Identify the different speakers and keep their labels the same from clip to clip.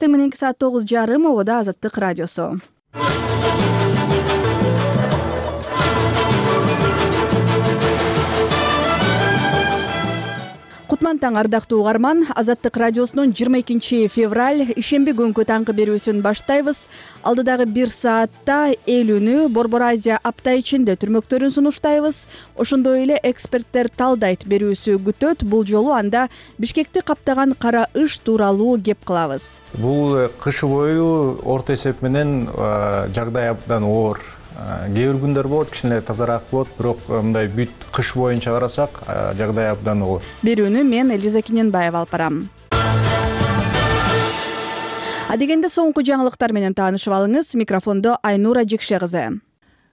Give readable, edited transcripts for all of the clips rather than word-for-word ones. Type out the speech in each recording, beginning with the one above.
Speaker 1: эртең мененки саат 9:30 обода Азаттык радиосу. Кутман таң ардактуу угарман, Азаттык радиосунун 22 февраль ишемби күнкү таңкы берүүсүн баштайбыз. Алдыдагы 1 саатта эл үнү, Борбор Азия апта ичинде түрмөктөрүн сунуштайбыз. Ошондой эле эксперттер талдайт берүүсү күтөт. Бул жолу анда Бишкекти каптаган кара ыш тууралуу кеп кылабыз.
Speaker 2: Бул кыш бою орто эсеп менен жагдай абдан оор. Кээ бир күндөр болот, кичине тазараак болот, бирок мындай бүт кыш боюнча карасак, жагдай абдан оор.
Speaker 1: Берүүнү мен Элиза Киненбаева алып барам. Адегенде соңку жаңылыктар менен таанышып алыңыз. Микрофондо Айнура Жекше кызы.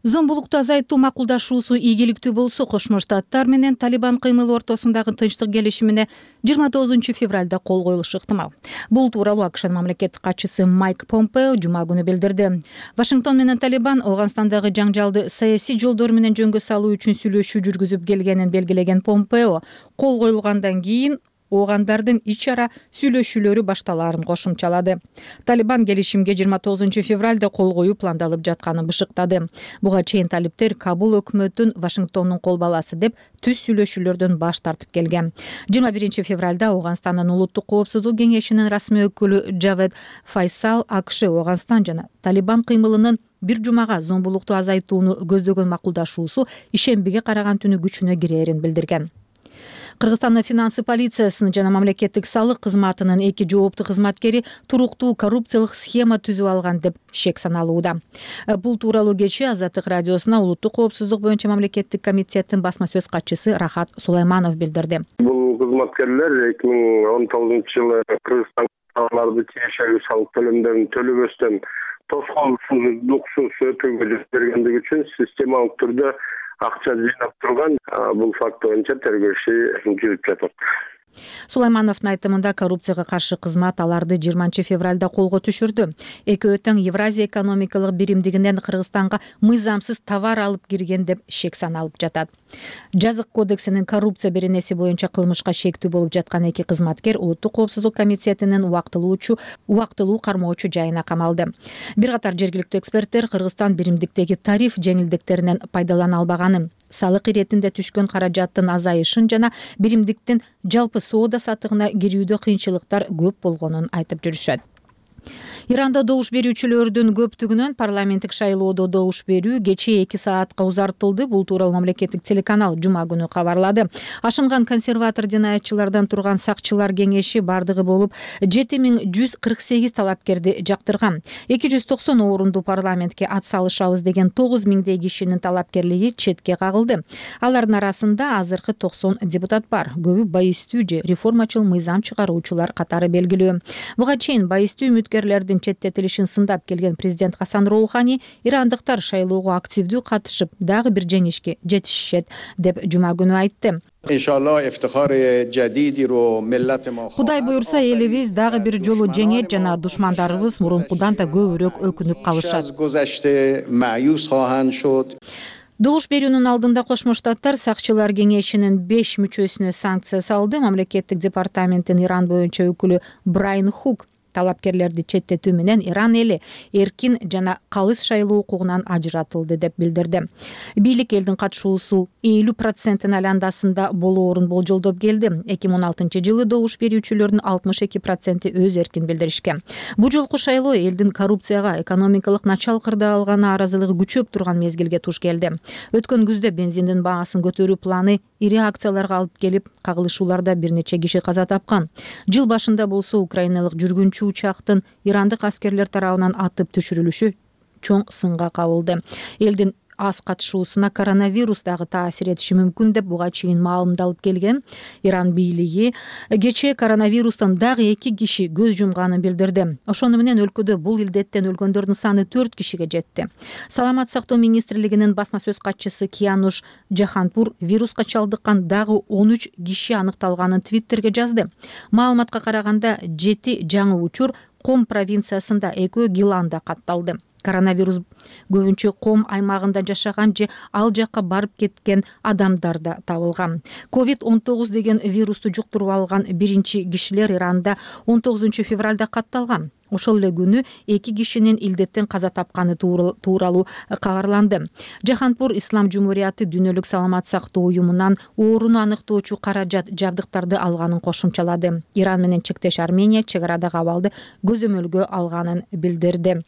Speaker 3: Зомбулукту азайтуу макулдашуусу ийгиликтүү болсо, Кошмо Штаттар менен Талибан кыймылы ортосундагы тынчтык келишимине 29 февралда кол коюлушу ыктымал. Бул тууралуу АКШнын мамлекеттик катчысы Майк Помпео жума күнү билдирди. Вашингтон менен Талибан Ооганстандагы жаңжалды саясий жолдор менен жөнгө салуу үчүн сүйлөшүү жүргүзүп келгенин белгилеген Помпео, кол коюлгандан кийин оогандардын ич ара сүйлөшүүлөрү башталаарын кошумчалады. Талибан келишимге 29 февралда кол коюу пландалып жатканын бышыктады. Буга чейин талиптер Кабул өкмөтүн Вашингтондун кол баласы деп түз сүйлөшүүлөрдөн баш тартып келген. 21 февралда Ооганстандын улуттук коопсуздук кеңешинин расмий өкүлү Джавед Файсал АКШ Ооганстан жана Талибан кыймылынын бир жумага зомбулукту азайтууну көздөгөн макулдашуусу ишембиге караган түнү күчүнө кирээрин билдирген. Кыргызстандын финансы полициясынын жана мамлекеттик салык кызматынын 2 жооптуу кызматкери туруктуу коррупциялык схема түзүп алган деп шек саналууда. Бул тууралуу кечээ Азаттык радиосуна улуттук коопсуздук боюнча мамлекеттик комитеттин басма сөз катчысы Рахат Сулайманов билдирди.
Speaker 4: Бул кызматкерлер 2019-жылы Кыргызстандагыларды тиешелүү салык төлөмдөрүн төлөбөстөн тоскоолсуздуксуз өтүүгө жол бергендиги үчүн системалык түрдө акча жыйнап турган. Бул факт боюнча тергөө иши жүрүп жатат.
Speaker 3: Сулаймановдун айтымында коррупцияга каршы кызмат аларды 20 февралда колго түшүрдү. Экөө тең Евразия экономикалык биримдигинен Кыргызстанга мыйзамсыз товар алып кирген деп шек саналып жатат. Жазык кодексинин коррупция беренеси боюнча кылмышка шектүү болуп жаткан 2 кызматкер улуттук коопсуздук комитетинин убактылуу кармоочу жайына камалды. Бир катар жергиликтүү эксперттер Кыргызстан биримдиктеги тариф жеңилдиктеринен пайдалана албаганын, салык иретинде түшкөн каражаттын азайышын жана биримдиктин жалпы соода сатыгына кирүүдө кыйынчылыктар көп болгонун айтып жүрүшөт. Иранда добуш берүүчүлөрдүн көптүгүнөн парламенттик шайлоодо добуш берүү кечээ 2 саатка узартылды. Бул тууралуу мамлекеттик телеканал жума күнү кабарлады. Ашынган консерватор жинаятчылардан турган сакчылар кеңеши бардыгы болуп 7148 талапкерди жактырган. 290 орунду парламентке ат салышабыз деген 9000 кишинин талапкерлиги четке кагылды. Алардын арасында азыркы 90 депутат бар. Көбү байыстуу же реформачыл мыйзам чыгаруучулар катары белгилүү. Буга чейин байыстуу үмүткерлердин четтетилишин сындап келген президент Хасан Роухани ирандыктар шайлоого активдүү катышып, дагы бир жеңишке жетишишет деп жума күнү айтты. Кудай буюрса, элибиз дагы бир жолу жеңет жана душмандарыбыз мурункудан да көбүрөөк өкүнүп калышат. Добуш берүүнүн алдында Кошмо Штаттар сакчылар кеңешинин 5 мүчөсүнө санкция салды. Мамлекеттик департаменттин Иран боюнча өкүлү Брайан Хук талапкерлерди четтетүү менен Иран эли эркин жана калыс шайлоо укугунан ажыратылды деп билдирди. Бийлик элдин катышуусу 50% айландасында болоорун болжолдоп келди. 2016-жылы добуш берүүчүлөрдүн 62% өз эркин билдиришкен. Бул жолку шайлоо элдин коррупцияга, экономикалык начал кырда алганы аразылыгы күчөп турган мезгилге туш келди. Өткөн күздө бензиндин баасын көтөрүү планы ири акцияларга алып келип, кагылышууларда бир нече киши каза тапкан. Жыл башында болсо украиналык жүргүнчү учактын ирандык аскерлер тарабынан атып түшүрүлүшү чоң сынга кабылды. Элдин аз катышуусуна коронавирус дагы таасир этиши мүмкүн деп буга чейин маалымдалып келген. Иран бийлиги кечээ коронавирустан дагы 2 киши көз жумганын билдирди. Ошону менен өлкөдө бул илдеттен өлгөндөрдүн саны 4 кишиге жетти. Саламат сактоо министрлигинин басма сөз катчысы Киануш Жаханпур вируска чалдыккан дагы 13 киши аныкталганын Твиттерге жазды. Маалыматка караганда 7 жаңы учур Ком провинциясында, экөө Гиланда катталды. Коронавирус көбүнчө Ком аймагында жашаган же ал жакка барып кеткен адамдарда табылган. COVID-19 деген вирусту жуктуруп алган биринчи кишилер Иранда 19 февралда катталган. Ошол эле күнү 2 кишинин илдеттен каза тапканы тууралуу кабарланды. Жаһанпур Ислам Жумурияты Дүйнөлүк саламат сактоо уюмунан ооруну аныктоочу каражат жабдыктарды алганын кошумчалады. Иран менен чектеш Армения чек арадагы абалды көзөмөлгө алганын билдирди.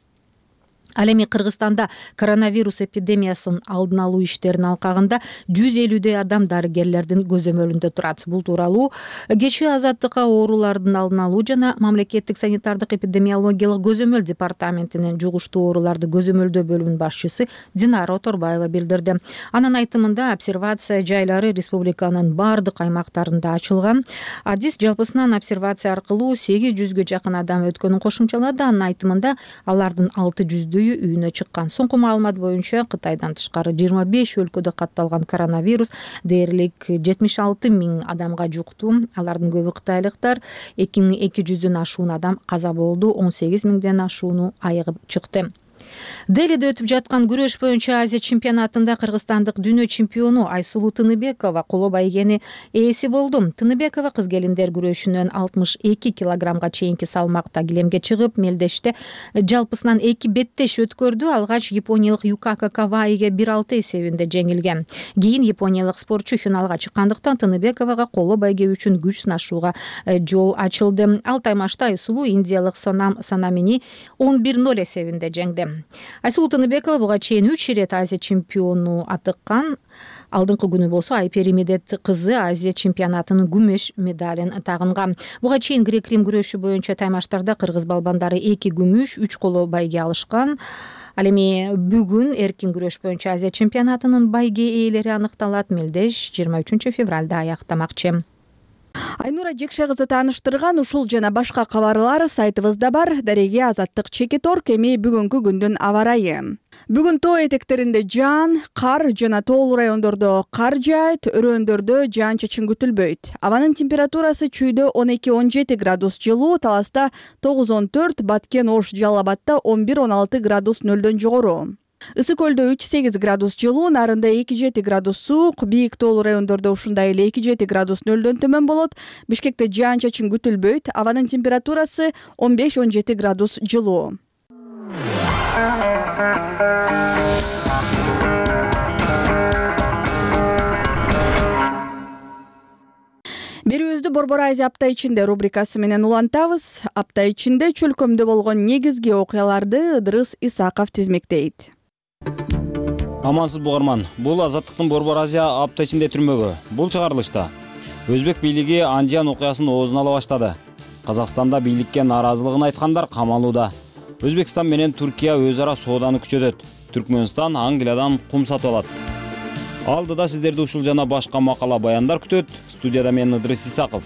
Speaker 3: Ал эми Кыргызстанда коронавирус эпидемиясын алдын алуу иштеринин алкагында 150дөй адам дарыгерлердин көзөмөлүндө турат. Бул тууралуу кечээ Азаттыкка оорулардын алдын алуу жана мамлекеттик санитардык эпидемиологиялык көзөмөл департаментинин жугуштуу ооруларды көзөмөлдөө бөлүмүнүн башчысы Динара Оторбаева билдирди. Анын айтымында обсервация жайлары республиканын бардык аймактарында ачылган. Адис жалпысынан обсервация аркылуу 800гө жакын адам өткөнүн кошумчалады. Анын айтымында алардын 600 үйүнө чыккан. Соңку маалымат боюнча Кытайдан тышкары 25 өлкөдө катталган коронавирус дээрлик 76 000 адамга жукту. Алардын көбү кытайлыктар. 2200дөн ашуун адам каза болду, 18 000ден ашууну айыгып чыкты. Делиде өтүп жаткан күрөш боюнча Азия чемпионатында кыргызстандык дүйнө чемпиону Айсулуу Тыныбекова коло байгени ээси болду. Тыныбекова кыз келиндер күрөшүнөн 62 килограммга чейинки салмакта килемге чыгып, мелдеште жалпысынан 2 беттеш өткөрдү. Алгач япониялык Юкака Каваиге 1-6 эсебинде жеңилген. Кийин япониялык спортчу финалга чыккандыктан Тыныбековага коло байге үчүн күч сынашууга жол ачылды. Ал таймашта Айсулуу индиялык Сонамини 11-0 эсебинде жеңди. Айсулуу Тыныбекова буга чейин 3 ирет Азия чемпиону атыккан. Алдыңкы күнү болсо Айпери Медет кызы Азия чемпионатынын күмүш медалин тагынган. Буга чейин грек-рим күрөшү боюнча таймаштарда кыргыз балбандары 2 күмүш, 3 коло байге алышкан. Ал эми бүгүн эркин күрөш боюнча Азия чемпионатынын байге ээлери аныкталат. Мелдеш 23 февралда аяктамакчы.
Speaker 1: Айнура Жекше кызы тааныштырган ушул жана башка кабарлар сайтыбызда бар. Дареге Азаттык Чекиторг. Эми бүгүнкү күндүн аба ырайы. Бүгүн тоо этектеринде жаан, кар жана тоолуу райондордо кар жаайт, өрөөндөрдө жаан-чачын күтүлбөйт. Абанын температурасы чүйдө 12-17 градус жылуу, Таласта 9-14, Баткен, Ош, Жалал Абадта 11-16 градус нөлдөн жогору. Ысык көлдө 3-8 градус жылуу, Нарында 2-7 градус суук, бийик тоолуу райондордо ушундай эле 2-7 градус нөлдөн төмөн болот. Бишкекте жаан-чачын күтүлбөйт. Абанын температурасы 15-17 градус жылуу. Берүүбүздү Борбор Азия апта ичинде рубрикасы менен улантабыз. Апта ичинде чөлкөмдө болгон негизги окуяларды Ыдырыс Исаков тизмектейт.
Speaker 5: Амансыз бугарман. Бул Азаттыктын Борбор Азия апта ичинде түрмөгү. Бул чыгарылышта Өзбек бийлиги Анжан окуясын оозун ала баштады. Казакстанда бийликке нааразылыгын айткандар камалууда. Өзбекстан менен Туркия өз ара сооданы күчөтөт. Түркмөнстан Англиядан кум сатып алат. Алдыда сиздерди ушул жана башка макала баяндар күтөт. Студияда мен Ыдырыс Исаков.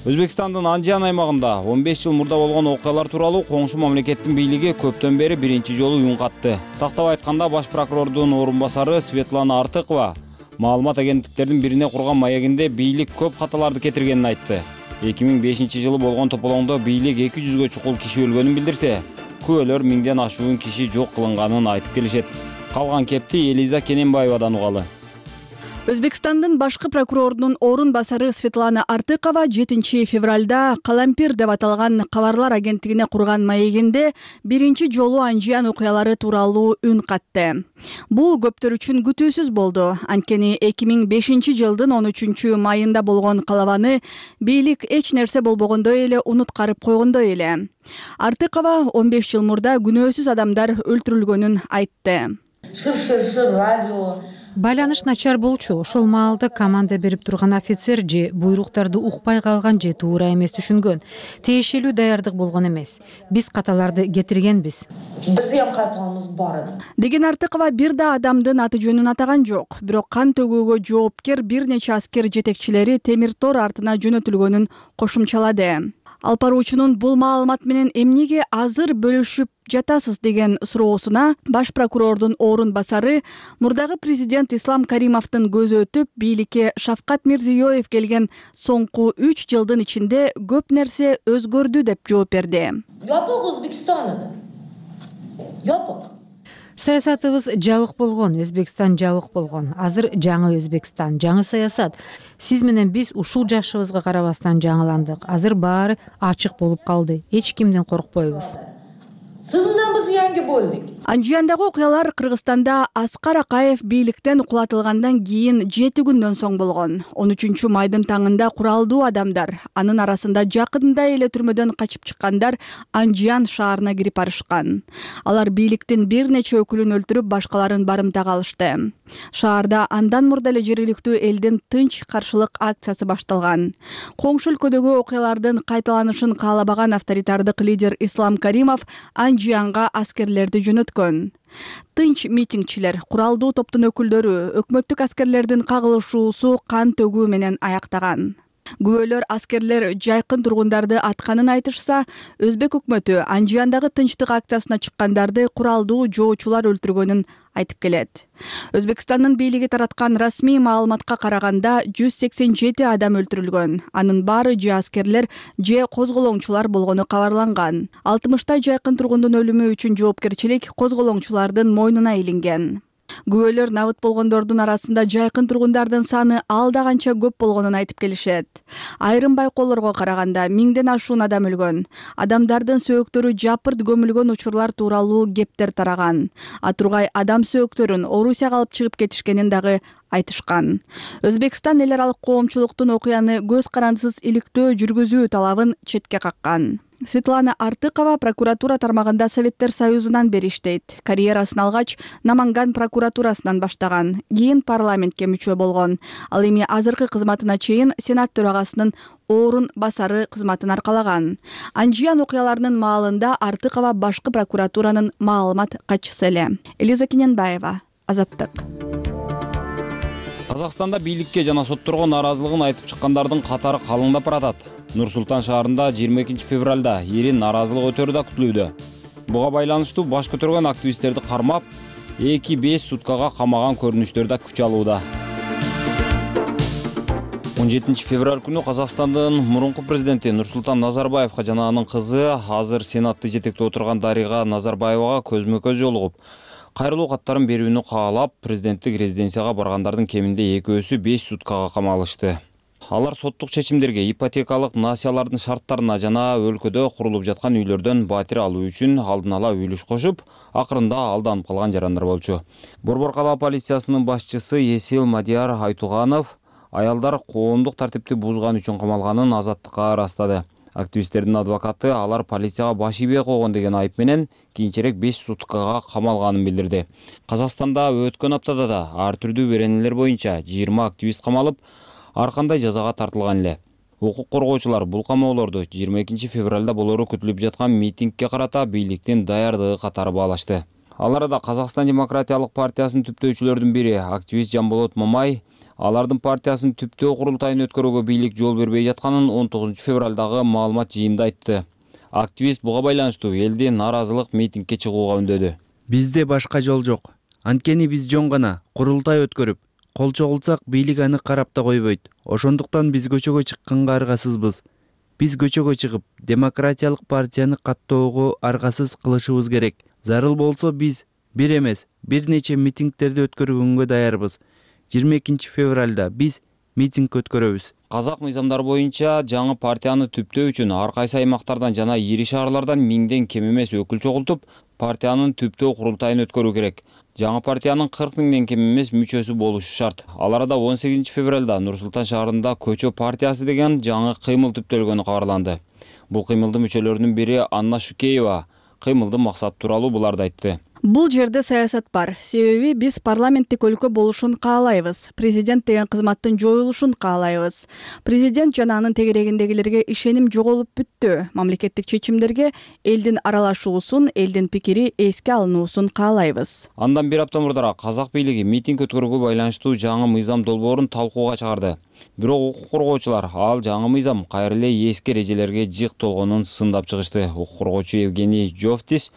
Speaker 5: Өзбекстандын Анжан аймагында 15 жыл мурда болгон окуялар тууралуу коңшу мамлекеттин бийлиги көптөн бери биринчи жолу үн катты. Тактап айтканда баш прокурордун орун басары Светлана Артыкова маалымат агенттиктердин бирине курган маегинде бийлик көп каталарды кетиргенин айтты. 2005 жылы болгон тополоңдо бийлик 200гө чукул киши өлгөнүн билдирсе, күбөлөр 1000ден ашуун киши жок кылынганын айтып келишет. Калган кепти Элиза Кененбаевадан угалы.
Speaker 1: Өзбекстандын башкы прокурорунун орун басары Светлана Артыкова 7 февралда Калампир деп аталган кабарлар агенттигине курган маегинде биринчи жолу Анжан окуялары тууралуу үн катты. Бул көптөр үчүн күтүүсүз болду. Анткени 2005 жылдын 13 майында болгон калабаны бийлик эч нерсе болбогондой эле унуткарып койгондой эле. Артыкова 15 жыл мурда күнөөсүз адамдар өлтүрүлгөнүн айтты.
Speaker 3: Радио байланыш начар болчу. Ошол маалда команда берип турган офицер же буйруктарды укпай калган же туура эмес түшүнгөн. Тиешелүү даярдык болгон эмес. Биз каталарды кетиргенбиз.
Speaker 6: Биздин каталарыбыз бар.
Speaker 1: Деген Артыкова бир да адамдын аты жөнүн атаган жок. Бирок кан төгүүгө жоопкер бир нече аскер жетекчилери темир тор артына жөнөтүлгөнүн кошумчалады. Алып баруучунун бул маалымат менен эмнеге азыр бөлүшүп жатасыз деген суроосуна баш прокурордун орун басары мурдагы президент Ислам Каримовдун көзү өтүп, бийликке Шавкат Мирзиёев келген соңку 3 жылдын ичинде көп нерсе өзгөрдү деп жооп берди.
Speaker 6: Жапок Өзбекстанда. Жапок.
Speaker 3: Саясатыбыз жабык болгон, Өзбекстан жабык болгон. Азыр жаңы Өзбекстан, жаңы саясат. Сиз менен биз ушул жашыбызга карабастан жаңыландык. Азыр баары ачык болуп калды. Эч кимден коркпойбуз.
Speaker 6: Sizindan biz yangi bo'ldik.
Speaker 1: Анжияндагы окуялар Кыргызстанда Аскар Акаев бийликтен кулатылгандан кийин 7 күндөн соң болгон. 13 майдын таңында куралдуу адамдар, анын арасында жакында эле түрмөдөн качып чыккандар Анжиян шаарына кирип барышкан. Алар бийликтин бир нече өкүлүн өлтүрүп, башкаларын барымтага алышты. Шаарда андан мурда эле жергиликтүү элдин тынч каршылык акциясы башталган. Коңшу өлкөдөгү окуялардын кайталанышын каалабаган авторитардык лидер Ислам Каримов Анжиянга аскерлерди жөнөткөн. Тынч митингчилер, куралдуу топтун өкүлдөрү өкмөттүк аскерлердин кагылышуусу кан төгүү менен аяктаган. Күбөлөр аскерлер жайкын тургундарды атканын айтышса, Өзбек өкмөтү Анжияндагы тынчтык акциясына чыккандарды куралдуу жоочулар өлтүргөнүн айтып келет. Өзбекстандын бийлиги тараткан расмий маалыматка караганда 187 адам өлтүрүлгөн. Анын баары же аскерлер, же козголоңчулар болгону кабарланган. 60 жайкын тургундун өлүмү үчүн жоопкерчилик козголоңчулардын мойнуна илинген. Күбөлөр набыт болгондордун арасында жайкын тургундардын саны алда канча көп болгонун айтып келишет. Айрым байкоолорго караганда 1000ден ашуун адам өлгөн. Адамдардын сөөктөрү жапырт көмүлгөн учурлар тууралуу кептер тараган. Атургай адам сөөктөрүн Орусияга алып чыгып кетишкенин дагы айтышкан. Өзбекстан эл аралык коомчулуктун окуяны көз карандысыз иликтөө жүргүзүү талабын четке каккан. Светлана Артыкова прокуратура тармагында Советтер Союзунан бери иштейт. Карьерасын алгач Наманган прокуратурасынан баштаган, кийин парламентке мүчө болгон. Ал эми азыркы кызматына чейин Сенат төрагасынын орун басары кызматын аркалаган. Анжиян окуяларынын маалында Артыкова башкы прокуратуранын маалымат катчысы эле. Элиза Кененбаева, Азаттык.
Speaker 5: Казакстанда бийликке жана сотторго наразылыгын айтып чыккандардын катары калыңдап баратат. Нур-Султан шаарында 22 февралда эрин наразылык өтөрү да күтүлүүдө. Буга байланыштуу баш көтөргөн активисттерди кармап, 2-5 суткага камаган көрүнүштөр да күч алууда. 17 февраль күнү Казакстандын мурунку президенти Нурсултан Назарбаевга жана анын кызы, азыр Сенатты жетектеп отурган Дарига Назарбаевага көзмө-көз жолугуп, кайрылуу каттарын берүүнү каалап, президенттик резиденцияга баргандардын кеминде экөөсү 5 суткага камалышты. Алар соттук чечимдерге, ипотекалык насиялардын шарттарына жана өлкөдө курулуп жаткан үйлөрдөн батир алуу үчүн алдын ала үлүш кошуп, акырында алданып калган жарандар болчу. Борбор кала полициясынын башчысы Есил Мадияр Айтуганов аялдар коомдук тартипти бузган үчүн камалганын Азаттыкка ырастады. Активисттердин адвокаты алар полицияга баш ийбей койгон деген айып менен кийинчерээк 5 суткага камалганын билдирди. Казакстанда өткөн аптада да ар түрдүү беренелер боюнча 20 активист камалып, ар кандай жазага тартылган эле. Укук коргоочулар бул камоолорду 22 февралда болору күтүлүп жаткан митингге карата бийликтин даярдыгы катары баалашты. Аларда Казакстан демократиялык партиясынын түптөөчүлөрдүн бири активист Жамболот Мамай алардын партиясынын түптөө курултайын өткөрүүгө бийлик жол бербей жатканын 19 февралдагы маалымат жыйынында айтты. Активист буга байланыштуу элди наразылык митингге чыгууга үндөдү.
Speaker 7: Бизде башка жол жок. Анткени биз жөн гана курултай өткөрүп, кол чогулсак бийлик аны карап да койбойт. Ошондуктан биз көчөгө чыкканга аргасызбыз. Биз көчөгө чыгып, демократиялык партияны каттоого аргасыз кылышыбыз керек. Зарыл болсо биз бир эмес, бир нече митингдерди өткөргөнгө даярбыз. 22 февралда биз митинг өткөрөбүз.
Speaker 5: Казак мыйзамдары боюнча жаңы партияны түптөө үчүн ар кайсы аймактардан жана ири шаарлардан 1000ден кем эмес өкүл чогултуп, партиянын түптөө курултайын өткөрүү керек. Жаңы партиянын 40 000ден кем эмес мүчөсү болушу шарт. Аларда 18 февралда Нур-Султан шаарында Көчө партиясы деген жаңы кыймыл түптөлгөнү кабарланды. Бул кыймылдын мүчөлөрүнүн бири Анна Шукеева кыймылдын максаты тууралуу буларды айтты.
Speaker 1: Бул жерде саясат бар. Себеби биз парламенттик өлкө болушун каалайбыз. Президент деген кызматтын жоюлушун каалайбыз. Президент жана анын тегерегиндегилерге ишеним жоголуп бүттү. Мамлекеттик чечимдерге элдин аралашуусун, элдин пикири эске алынуусун каалайбыз.
Speaker 5: Андан бир апта мурдара казак бийлиги митинг өткөрүүгө байланыштуу жаңы мыйзам долбоорун талкууга чыгарды. Бирок укук коргоочулар ал жаңы мыйзам кайра эле эски эрежелерге жык толгонун сындап чыгышты. Укук коргоочу Евгений Жовтис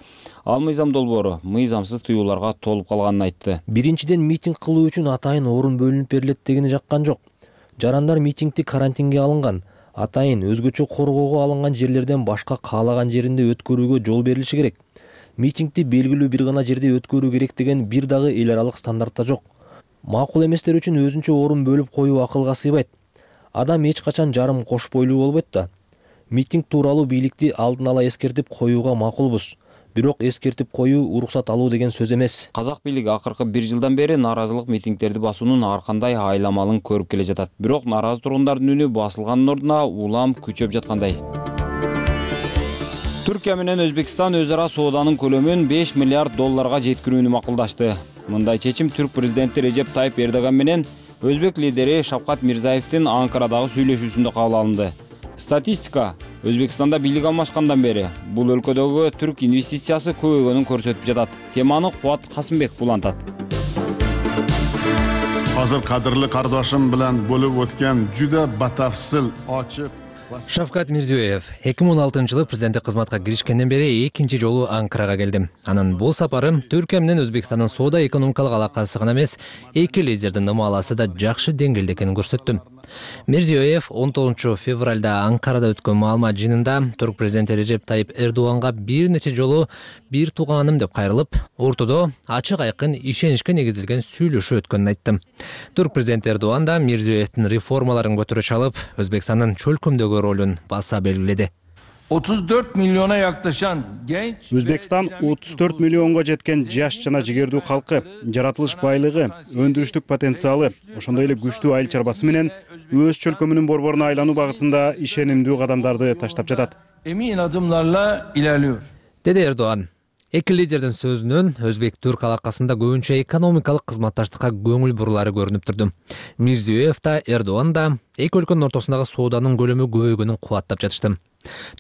Speaker 5: ал мыйзам долбоору мыйзамсыз тыюуларга толуп калганын айтты.
Speaker 8: Биринчиден митинг кылуу үчүн атайын орун бөлүнүп берилет дегени жаккан жок. Жарандар митингди карантинге алынган, атайын өзгөчө коргоого алынган жерлерден башка каалаган жеринде өткөрүүгө жол берилиши керек. Митингди белгилүү бир гана жерде өткөрүү керек деген бир дагы эл аралык стандартта жок. Макул эместер үчүн өзүнчө орун бөлүп коюу акылга сыйбайт. Адам эч качан жарым кош бойлуу болбойт да. Митинг тууралуу бийликти алдын ала эскертип коюуга макулбуз. бирок эскертип коюу уруксат алуу деген сөз эмес.
Speaker 5: Казак бийлиги акыркы 1 жылдан бери нааразылык митингдерди басуунун ар кандай айламалын көрүп келе жатат. Бирок нааразы тургундардын үнү басылганын ордуна улам күчөп жаткандай. Түркия менен Өзбекстан өз ара сооданын көлөмүн 5 миллиард долларга жеткирүүнү макулдашты. Мындай чечим түрк президенти Режеп Тайып Эрдоган менен өзбек лидери Шавкат Мирзаевдин Анкарадагы сүйлөшүүсүндө кабыл алынды. Статистика Өзбекстанда бийлик алмашкандан бери бул өлкөдөгү түрк инвестициясы көбөйгөнүн көрсөтүп жатат. Теманы Кубат Касымбеков улантат.
Speaker 9: Азыр кадырлы кардашым менен болуп өткөн жүдө батафсыл ачык
Speaker 10: Шавкат Мирзиёев 2016-жылы президенттик кызматка киришкенден бери экинчи жолу Анкарага келди. Анын бул сапары Түркия менен Өзбекстандын соода экономикалык алакасы гана эмес, эки лидердин ымаласы да жакшы деңгээлде экенин көрсөттү. Мирзиёев 19 февралда Анкарада өткөн маалымат жыйынында түрк президенти Режеп Тайып Эрдоганга бир нече жолу бир тууганым деп кайрылып, ортодо ачык айкын ишеничке негизилген сүйлөшүү өткөнүн айтты. Түрк президенти Эрдоган да Мирзиёевдин реформаларын көтөрө чалып, Өзбекстандын чөлкөмдөгү ролун баса белгиледи.
Speaker 11: 34 milyona yaklaşan genç
Speaker 12: Өзбекстан 34 миллионго жеткен жаш жана жигердүү калкы, жаратылыш байлыгы, өндүрүштүк потенциалы, ошондой эле күчтүү айыл чарбасы менен өз чөлкөмүнүн борборуна айлануу багытында ишенимдүү кадамдарды таштап жатат.
Speaker 11: Emin adımlarla ilerliyor.
Speaker 10: Деди Эрдоган. Эки лидердин сөзүнөн өзбек-түрк алакасында көбүнчө экономикалык кызматташтыкка көңүл бурулары көрүнүп турду. Мирзиёев да, Эрдоган да эки өлкөнүн ортосундагы сооданын көлөмү көбөйгөнүн кубаттап жатышты.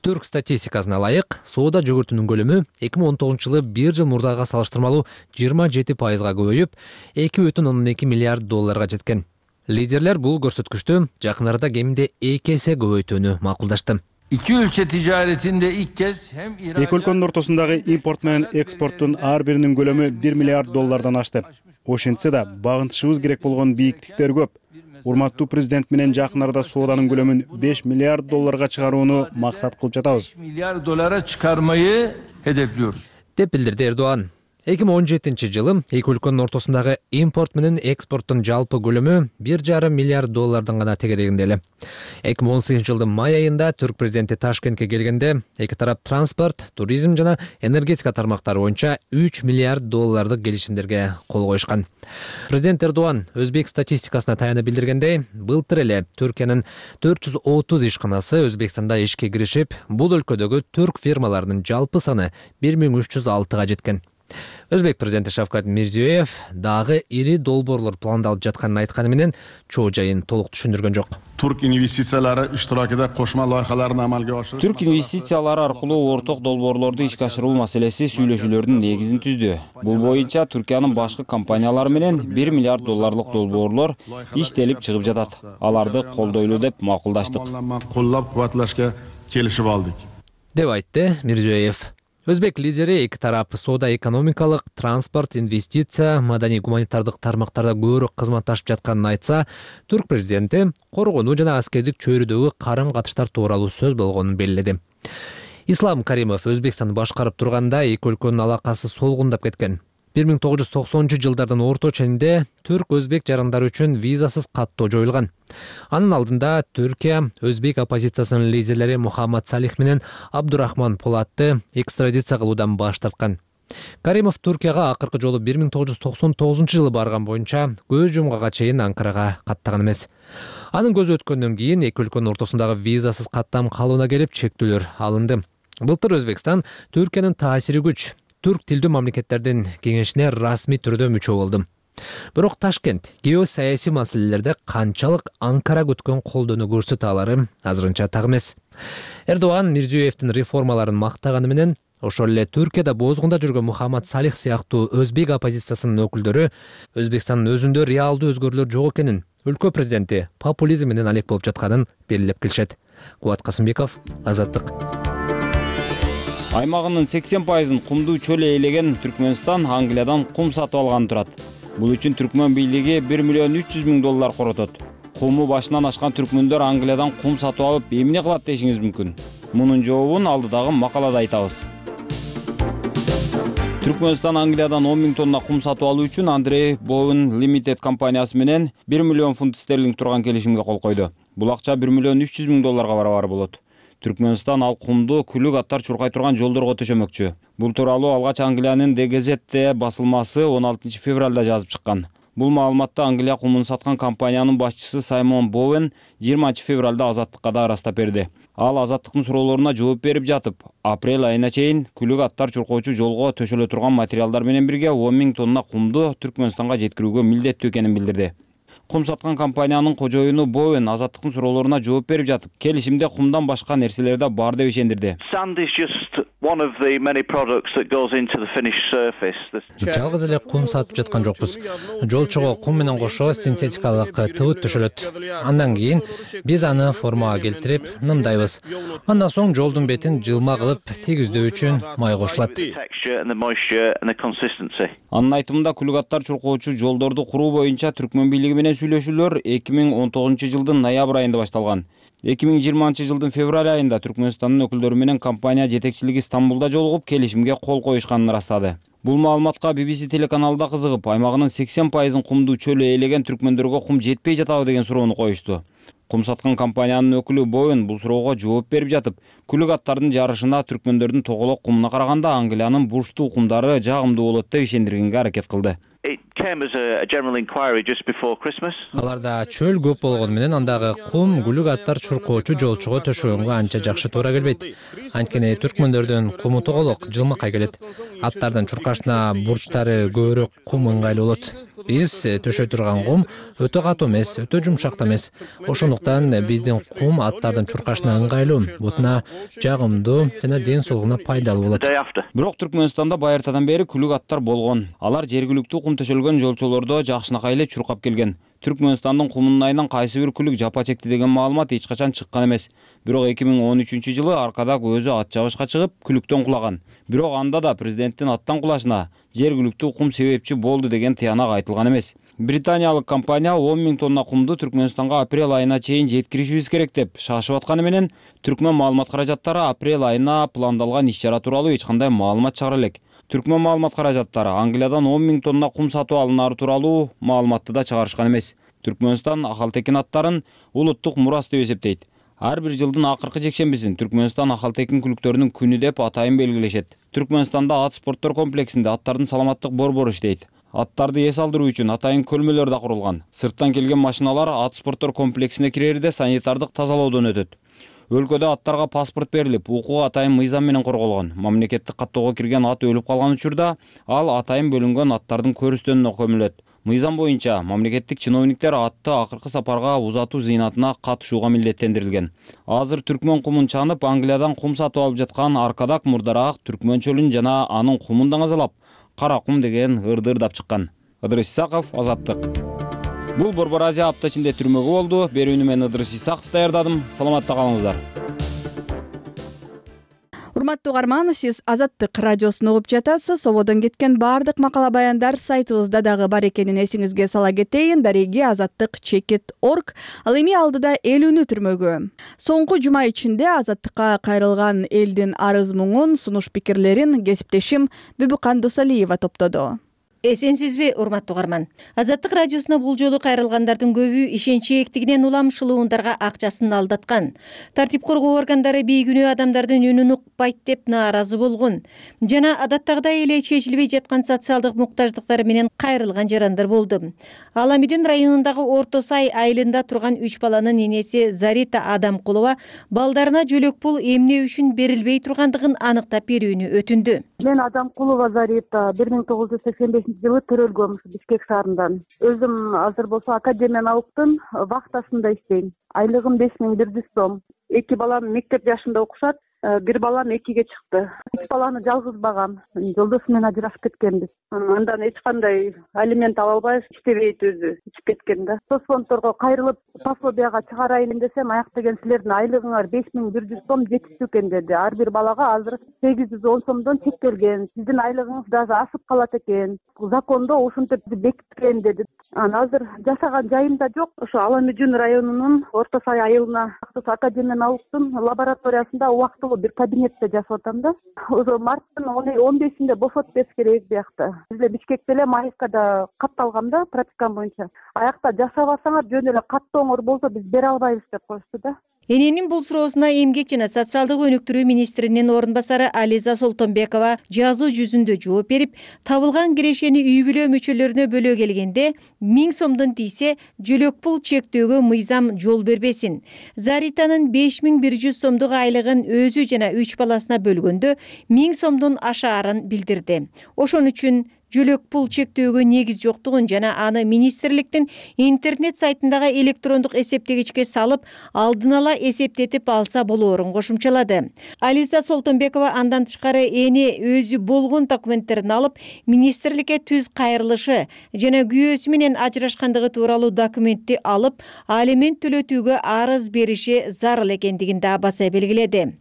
Speaker 10: Түрк статистикасына ылайык, соода жүгүртүүнүн көлөмү 2019-жылы бир жыл мурдага салыштырмалуу 27%га көбөйүп, 2,2 миллиард долларга жеткен. Лидерлер бул көрсөткүчтү жакын арада кеминде 2 эсе көбөйтүүнү макулдашты.
Speaker 11: İki ülke ticaretinde ilk kez hem
Speaker 12: Эки өлкөнүн ортосундагы импорт менен экспорттун ар биринин көлөмү 1 миллиард доллардан ашты. Ошентсе да багынтышыбыз керек болгон бийиктиктер көп. Урматтуу президент менен жакын арада сооданын көлөмүн 5 миллиард долларга чыгарууну максат кылып жатабыз.
Speaker 11: 5 milyar dolara çıkarmayı hedefliyoruz.
Speaker 10: Деп билдирди Эрдоган. 2017-жылы эки өлкөнүн ортосундагы импорт менен экспорттун жалпы көлөмү 1,5 миллиард доллардан гана тегерегинде эле. 2018-жылдын май айында түрк президенти Ташкентке келгенде эки тарап транспорт, туризм жана энергетика тармактары боюнча 3 миллиард доллардык келишимдерге кол коюшкан. Президент Эрдоган өзбек статистикасына таянып билдиргендей, былтыр эле Түркиянын 430 ишканасы Өзбекстанда ишке киришип, бул өлкөдөгү түрк фирмаларынын жалпы саны 1306-га жеткен. Өзбек президенти Шавкат Мирзиёев дагы ири долбоорлор пландалып жатканын айтканы менен чоо жайын толук түшүндүргөн жок.
Speaker 9: Türk investisiyaları iştirakida koşma loyihalarini amalga oshirish.
Speaker 5: Түрк инвестициялары аркылуу орток долбоорлорду ишке ашыруу маселеси сүйлөшүүлөрдүн негизин түздү. Бул боюнча Түркиянын башкы компаниялары менен 1 миллиард долларлык долбоорлор иштелип чыгып жатат. Аларды колдойлуу деп макулдаштык.
Speaker 9: Qo'llab-quvvatlashga kelishib oldik.
Speaker 10: Деп айтты Мирзиёев. Өзбек лидери эки тарап соода экономикалык, транспорт, инвестиция, маданий гуманитардык тармактарда көбүрөөк кызматташып жатканын айтса, түрк президенти коргонуу жана аскердик чөйрөдөгү карым-катыштар тууралуу сөз болгонун белгиледи. Ислам Каримов Өзбекстанды башкарып турганда эки өлкөнүн алакасы солгундап кеткен. 1990-жылдардын орто ченинде түрк-өзбек жарандары үчүн визасыз каттоо жоюлган. Анын алдында Түркия өзбек оппозициясынын лидерлери Мухаммад Салих менен Абдурахман Полатты экстрадиция кылуудан баш тарткан. Каримов Түркияга акыркы жолу 1999-жылы барган боюнча көз жумгага чейин Анкарага каттаган эмес. Анын көзү өткөндөн кийин эки өлкөнүн ортосундагы визасыз каттам калыбына келип чектөөлөр алынды. Былтыр Өзбекстан Түркиянын таасири күч түрк тилдүү мамлекеттердин кеңешине расмий түрдө мүчө болду. Бирок Ташкент геосаясий маселелерде канчалык Анкара күткөн колдоону көрсөтө алары азырынча так эмес. Эрдоган Мирзиёевдин реформаларын мактаганы менен ошол эле Түркияда бозгунда жүргөн Мухаммад Салих сыяктуу өзбек оппозициясынын өкүлдөрү Өзбекстандын өзүндө реалдуу өзгөрүүлөр жок экенин, өлкө президенти популизм менен алек болуп жатканын белгилеп келишет. Кубат Касымбеков, Азаттык.
Speaker 5: Аймагынын 80%-ын кумдуу чөл ээлеген Түркмөнстан Англиядан кум сатып алганы турат. Бул үчүн Түркмөн бийлиги 1 миллион 300 миң доллар коротот. Куму башынан ашкан түркмөндөр Англиядан кум сатып алып эмне кылат дешиңиз мүмкүн. Мунун жообун алдыдагы макалада айтабыз. Түркмөнстан Англиядан 10 миң тонна кум сатып алуу үчүн Андрей Bowen Limited компаниясы менен 1 миллион фунт стерлинг турган келишимге кол койду. Бул акча 1 миллион 300 миң долларга барабар болот. Түркмөнстан ал кумду күлүк аттар чуркай турган жолдорго төшөмөкчү. Бул тууралуу алгач Англиянын The Gazette басылмасы 16 февралда жазып чыккан. Бул маалыматты Англия кумун саткан компаниянын башчысы Саймон Боуэн 20 февралда Азаттыкка да ырастап берди. Ал Азаттыктын суроолоруна жооп берип жатып, апрель айына чейин күлүк аттар чуркоочу жолго төшөлө турган материалдар менен бирге 10 000 тонна кумду Түркмөнстанга жеткирүүгө милдеттүү экенин билдирди. Кум саткан компаниянын кожоюну Боуэн Азаттыктын суроолоруна жооп берип жатып, келишимде кумдан башка нерселер да бар деп ишендирди.
Speaker 10: Жалгыз эле кум сатып жаткан жокпуз. Жолчого кум менен кошо синтетикалык тыбыт төшөлөт. Андан кийин биз аны формага келтирип, нымдайбыз. Андан соң жолдун бетин жылма кылып тийгиздөө үчүн май кошулат.
Speaker 5: Анын айтымында күлүк аттар чуркоочу жолдорду куруу боюнча Түркмөн бийлиги менен сүйлөшүүлөр 2019 жылдын ноябрь айында башталган. 2020 жылдын февраль айында Түркмөнстандын өкүлдөрү менен компания жетекчилиги Стамбулда жолугуп, келишимге кол коюшканын ырастады. Бул маалыматка BBC телеканалда кызыгып, аймагынын 80% кумду чөлү ээлеген түркмөндөргө кум жетпей жатабы деген суроону коюшту. Кум саткан компаниянын өкүлү Боуэн бул суроого жооп берип жатып, күлүк аттардын жарышына түркмөндөрдүн тоголок кумуна караганда Англиянын бурчтуу кумдары жагымдуу болот деп ишендиргенге аракет кылды.
Speaker 10: Аларда чөл көп болгону менен андагы кум күлүк аттар чуркоочу жолчуга төшөгөнгө анча жакшы туура келбейт. Анткени түркмөндөрдүн куму тоголок, жылмакай келет. Аттардын чуркашына бурчтары көбүрөөк кум ыңгайлуу болот. Биз төшөй турган кум өтө катуу эмес, өтө жумшак да эмес. Ошондуктан биздин кум аттардын чуркашына ыңгайлуу, бутуна жагымдуу жана ден соолугуна пайдалуу болот.
Speaker 5: Бирок Түркмөнстанда байыртадан бери күлүк аттар болгон. Алар жергиликтүү кум төшөлгөн жолчолордо жакшынакай эле чуркап келген. Түркмөнстандын кумунун айынан кайсы бир күлүк жапа чекти деген маалымат эч качан чыккан эмес. Бирок 2013 жылы Аркадак өзү ат чабышка чыгып, күлүктөн кулаган. Бирок анда да президенттин аттан кулашына жергиликтүү кум себепчи болду деген тыянак айтылган эмес. Британиялык компания 10 000 тонна кумду Түркмөнстанга апрель айына чейин жеткиришибиз керек деп шашып атканы менен Түркмөн маалымат каражаттары апрель айына пландалган иш-чара тууралуу эч кандай маалымат чыгара элек. Түркмөн маалымат каражаттары Англиядан 10 000 тонна кум сатып алынары тууралуу маалыматты да чыгарышкан эмес. Түркмөнстан Ахалтекин аттарын улуттук мурас деп эсептейт. Ар бир жылдын акыркы жекшембисин Түркмөнстан Ахалтекин күлүктөрүнүн күнү деп атайын белгилешет. Түркмөнстанда ат спорттор комплексинде аттардын саламаттык борбору иштейт. Аттарды эс алдыруу үчүн атайын көлмөлөр да курулган. Сырттан келген машиналар ат спорттор комплексине кирерде санитардык тазалоодон өтөт. Өлкөдө аттарга паспорт берилип, укугу атайын мыйзам менен корголгон. Мамлекеттик каттоого кирген ат өлүп калган учурда ал атайын бөлүнгөн аттардын көрүстөнүнө көмүлөт. Мыйзам боюнча мамлекеттик чиновниктер атты акыркы сапарга узатуу зыйнатына катышууга милдеттендирилген. Азыр Түркмөн кумун чанып, Англиядан кум сатып алып жаткан Аркадак мурдараак Түркмөн чөлүн жана анын кумун даңазалап, кара кум деген ырды ырдап чыккан. Ыдырыс Исаков, Азаттык. Бул Борбор Азия апта ичинде түрмөгү болду. Берүүнү мен Ыдырыс Исаков даярдадым. Саламатта калыңыздар.
Speaker 1: Урматтуу угарман, сиз Азаттык радиосун угуп жатасыз. Ободон кеткен баардык макала баяндар сайтыбызда дагы бар экенин эсиңизге сала кетейин. Дареги azattik.org. Ал эми алдыда элүүнү түрмөгү. Соңку жума ичинде Азаттыкка кайрылган элдин арыз муңун, сунуш пикирлерин кесиптешим Бүбүкан Досалиева топтоду.
Speaker 6: Эсенсизби, урматтуу угарман? Азаттык радиосуна бул жолу кайрылгандардын көбү ишенчи эктигинен уламшылуундарга акчасын алдаткан. Тартип коргоо органдары бейкүнөө адамдардын үнүн укпайт деп нааразы болгон. Жана адаттагыдай эле чечилбей жаткан социалдык муктаждыктары менен кайрылган жарандар болду. Аламүдүн районундагы Орто Сай айылында турган 3 баланын энеси Зарита Адамкулова балдарына жөлөк пул эмне үчүн берилбей тургандыгын аныктап берүүнү өтүндү.
Speaker 13: Мен Адамкулова Зарита 1985 жылы төрөлгөм Бишкек шаарынан. Өзүм азыр болсо академияны вахтасында иштейм. Айлыгым 5100 сом. 2 балам мектеп жашында окушат. Бир балам 2-ге чыкты. 3 баланы жалгыз багам. Жолдошум менен ажырашып кеткенбиз. Андан эч кандай алимент ала албай иштебейт өзү. Ичип кеткен да. Соцфонддорго кайрылып пособияга чыгарайын десем, аяк деген силердин айлыгыңар 5100 сом жетиштүү экен деди. Ар бир балага азыр 810 сомдон чектелген. Сиздин айлыгыңыз дагы ашып калат экен. Закондо ушинтип бекиткен деди. Азыр жашаган жайым да жок. Ошо Аламүдүн районунун Орто Сай айылына академияны лабораториясында убактылуу бир кабинетте жашап атам да. Ошо марттын 15-inde бошотуп бериш керек биякта. Бизде Бишкекте эле Маевкада катталгам да практикам боюнча. Аякта жашабасаңар жөн эле каттооңор болсо биз бере албайбыз деп коюшту да.
Speaker 6: Эненин бул суроосуна Эмгек жана социалдык өнүктүрүү министринин орун басары Ализа Солтонбекова жазуу жүзүндө жооп берип, табылган кирешени үй бүлө мүчөлөрүнө бөлө келгенде 1000 сомдон тийсе жөлөк пул чектөөгө мыйзам жол бербесин. Заританын 5100 сомдук айлыгын өзү жана 3 баласына бөлгөндө 1000 сомдон ашаарын билдирди. Ошон үчүн жөлөк пул чектөөгө негиз жоктугун жана аны министрликтин интернет сайтындагы электрондук эсептегичке салып, алдын ала эсептетип алса болоорун кошумчалады. Ализа Солтонбекова андан тышкары эне өзү болгон документтерин алып, министрликке түз кайрылышы жана күйөөсү менен ажырашкандыгы тууралуу документти алып, алимент төлөтүүгө арыз бериши зарыл экендигин да баса белгиледи.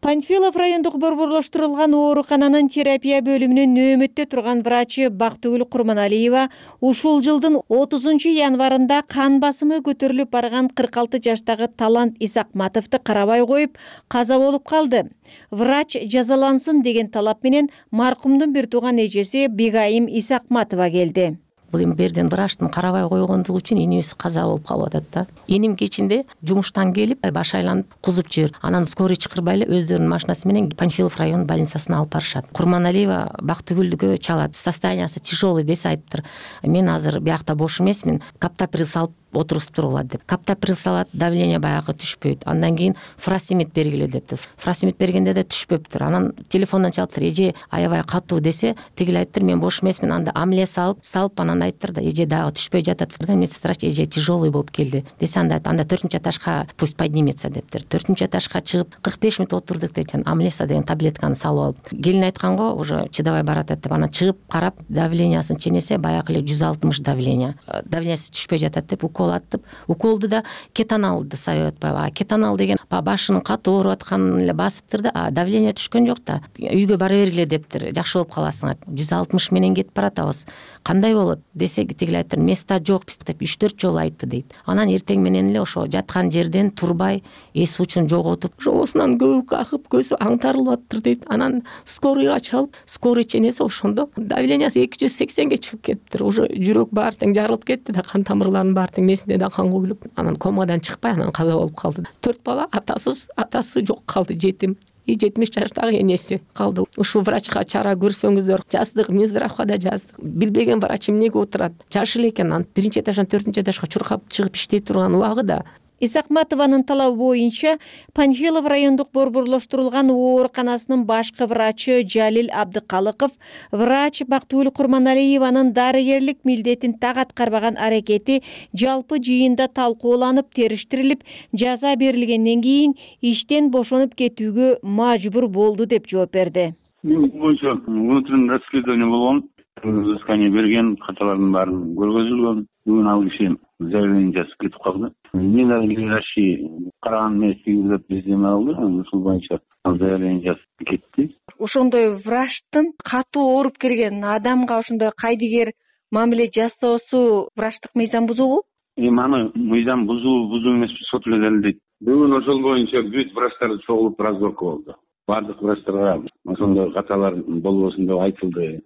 Speaker 6: Панфилов райондук борборлоштурулган оорукананын терапия бөлүмүнүн нөөмөттө турган врачы Бактыгүл Курманалиева ушул жылдын 30 январында кан басымы көтөрүлүп барган 46 жаштагы Талант Исакматовду карабай коюп, каза болуп калды. Врач жазалансын деген талап менен маркумдун бир тууган эжеси Бегайым Исакматова келди.
Speaker 14: Бул эми берден врачтын карабай койгондугу үчүн энебиз каза болуп калып атат да. Энем кечинде жумуштан келип, баш айланып кузуп жиберди. Анан скорый чакырбай эле өздөрүнүн машинасы менен Панфилов район больницасына алып барышат. Курманалиева Бактыгүлгө чалат. Состояниясы тяжелый десе айттыр. Мен азыр биякта бош эмесмин. Каптоприл салып отургузуп тургула деп. Каптоприл салат, давление баягы түшпөйт. Андан кийин фуросемид бергиле депти. Фуросемид бергенде да түшпөптүр. Анан телефондон чалыптыр, эже аябай катуу десе, тигил айттыр, мен бош эмесмин. Анда амле салып анан айттыр да, эже дагы түшпөй жатат. Медсестра эже тяжелый болуп келди десе, анда 4-нче этажга пусть поднимется дептир. 4-нче этажга чыгып 45 минут отурдук дечен, амлеса деген таблетканы салып алып. Келин айтканго, уже чыдабай баратат деп, анан чыгып карап, давлениясын ченесе баягы эле 160 давление. Давлениясы түшпөй жатат деп аттып, уколду да кетаналды сайып атпайбы. Кетанал деген башынын катуу ооруп атканын эле басыптыр да, давление түшкөн жок да. Үйгө бара бергиле дептир, жакшы болуп каласың. 160 менен кетип баратабыз. Кандай болот десе, тигил айттыр, места жок деп 3-4 жолу айтты дейт. Анан эртең менен эле ошо жаткан жерден турбай, эс учун жоготуп, жоосунан көбүк акып, көзү аңтарылып аттыр дейт. Анан скорыйга чалып, скорый ченесе ошондо давлениясы 280ге чыгып кетиптир. Уже жүрөк баары тең жарылып кетти да, кан тамырларынын баары тең месинде да кан куюлуп, анан комадан чыкпай, анан каза болуп калды. 4 бала атасы жок калды, жетим. 70 жаштагы энеси калды. Ушул врачка чара көрсөңүздөр, жаздык, Минздравга да жаздык. Билбеген врач эмнеге отурат? Жаш эле экен, анан 1-нче этаждан 4-нче этажга чуркап чыгып иштей турган убагыда.
Speaker 6: Исакматованын талабы боюнча Панфилов райондук борборлоштурулган ооруканасынын башкы врачы Жалил Абдыкалыков врач Бактыгүл Курманалиеванын дарыгерлик милдетин так аткарбаган аракети жалпы жыйында талкууланып, териштирилип, жаза берилгенден кийин иштен бошонуп кетүүгө мажбур болду деп жооп берди.
Speaker 15: Бул боюнча внутреннее расследование болгон, взыскание берген, каталардын баарын көргөзүлгөн. Бүгүн ал киши заявление жазып кетип калды. Мен надлежащий караган мезгилде бизден алды, ушул боюнча заявление жазып кетти.
Speaker 6: Ошондой врачтын катуу ооруп келген адамга ошондой кайдыгер мамиле жасоосу врачтык мыйзам бузугу?
Speaker 15: Аны мыйзам бузуу эмес, сот эле далилдейт. Бүгүн ошол боюнча бүт врачтар чогулуп разборка болду. Бардык врачтарга ошондой каталар болбосун деп айтылды.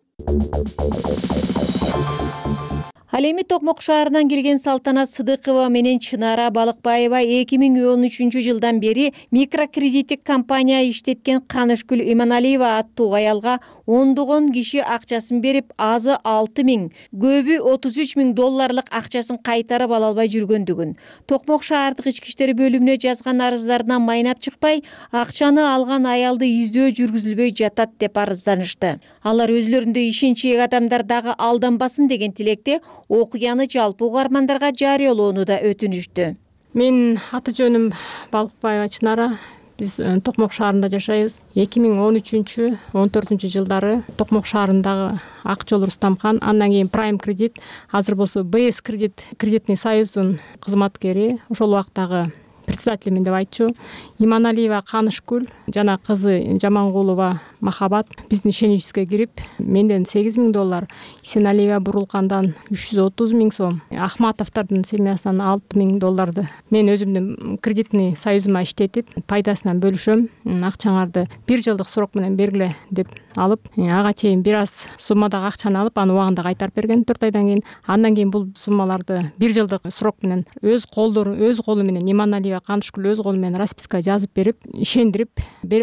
Speaker 6: Ал эми Токмок шаарынан келген Салтанат Сыдыкова менен Чынара Балыкбаева 2013 жылдан бери микрокредиттик компания иштеткен Канышгүл Иманалиева аттуу аялга ондогон киши акчасын берип, азы 6 000, көбү 33 000 долларлык акчасын кайтарып ала албай жүргөндүгүн, Токмок шаардык ички иштер бөлүмүнө жазган арыздарынан майнап чыкпай, акчаны алган аялды издөө жүргүзүлбөй жатат деп арызданышты. Алар өзлөрүндөй ишенчээк адамдар дагы алданбасын деген тилекте окуяны жалпы угармандарга жарыялоону да өтүнүштү.
Speaker 16: Мен аты жөнүм Балыкбаева Чынара. Биз Токмок шаарында жашайбыз. 2013-14 жылдары Токмок шаарындагы Акчол Рустамхан, андан кийин Prime кредит, азыр болсо БС кредит, кредитный союздун кызматкери, ошол убактагы председателимин деп айтчу. Иманалиева Канышгүл жана кызы Жамангулова махабат биздин ишеничибизге кирип, менден $8,000, Исеналиева Бурулкандан $330,000 Ахматовдордун семьясынан $6,000 мен өзүмдүн кредитный союзума иштетип, пайдасынан бөлүшөм. Акчаңарды 1 жылдык срок менен бергиле деп алып, ага чейин бир аз суммадагы акчаны алып, аны убагында кайтарып берген 4 айдан кийин. Андан кийин бул суммаларды 1 жылдык срок менен өз колу менен Иманалиева Канышкүл өз колу менен расписка жазып берип, ишендирип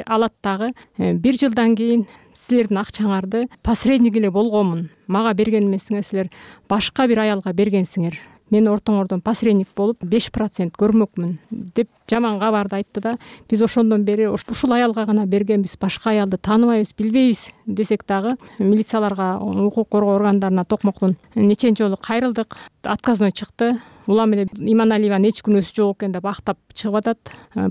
Speaker 16: алат дагы. 1 жылдан кийин силердин акчаңарды посредник эле болгонмун. Мага берген эмесиңер, силер башка бир аялга бергенсиңер. Мен ортоңордон посредник болуп 5% көрмөкмүн деп жаман кабарды айтты да. Биз ошондон бери ушул аялга гана бергенбиз, башка аялды тааныбайбыз, билбейбиз десек дагы милицияларга, укук коргоо органдарына токмоктон нечен жолу кайрылдык. Отказной чыкты. Улам эле Иманалиеванын эч күнөөсү жок экен деп актап чыгып атат.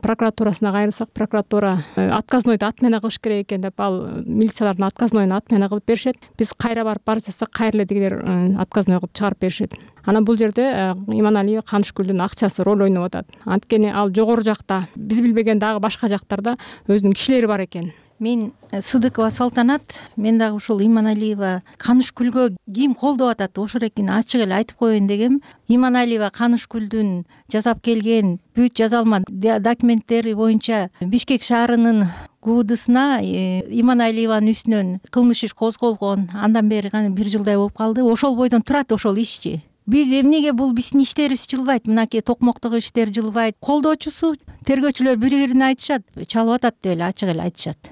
Speaker 16: Прокуратурасына кайрылсак, прокуратура отказнойду отмена кылыш керек экен деп, ал милициялардын отказнойун отмена кылып беришет. Биз кайра барып барсак, кайра эле дигилер отказной кылып чыгарып беришет. Анан бул жерде Иманалиева Канышкүлдүн акчасы роль ойноп атат. Анткени ал жогору жакта, биз билбеген дагы башка жактарда өзүнүн кишилери бар экен.
Speaker 17: Мен Сыдыкова Салтанат, мен дагы ушул Иманалиева Канышкүлгө ким колдоп атат, ошол экен ачык эле айтып коеюн дегем. Иманалиева Канышкүлдүн жасап келген бүт жазалма документтери боюнча Бишкек шаарынын ГУДсына Иманалиеванын үстүнөн кылмыш иш козголгон. Андан бери 1 жылдай болуп калды. Ошол бойдон турат ошол ишчи. Биз эмнеге бул биздин иштерибиз жылбайт? Мынакей токмоктогу иштер жылбайт. Колдоочусу тергөөчүлөр бири-бирине айтышат, чалып атат деп эле ачык эле айтышат.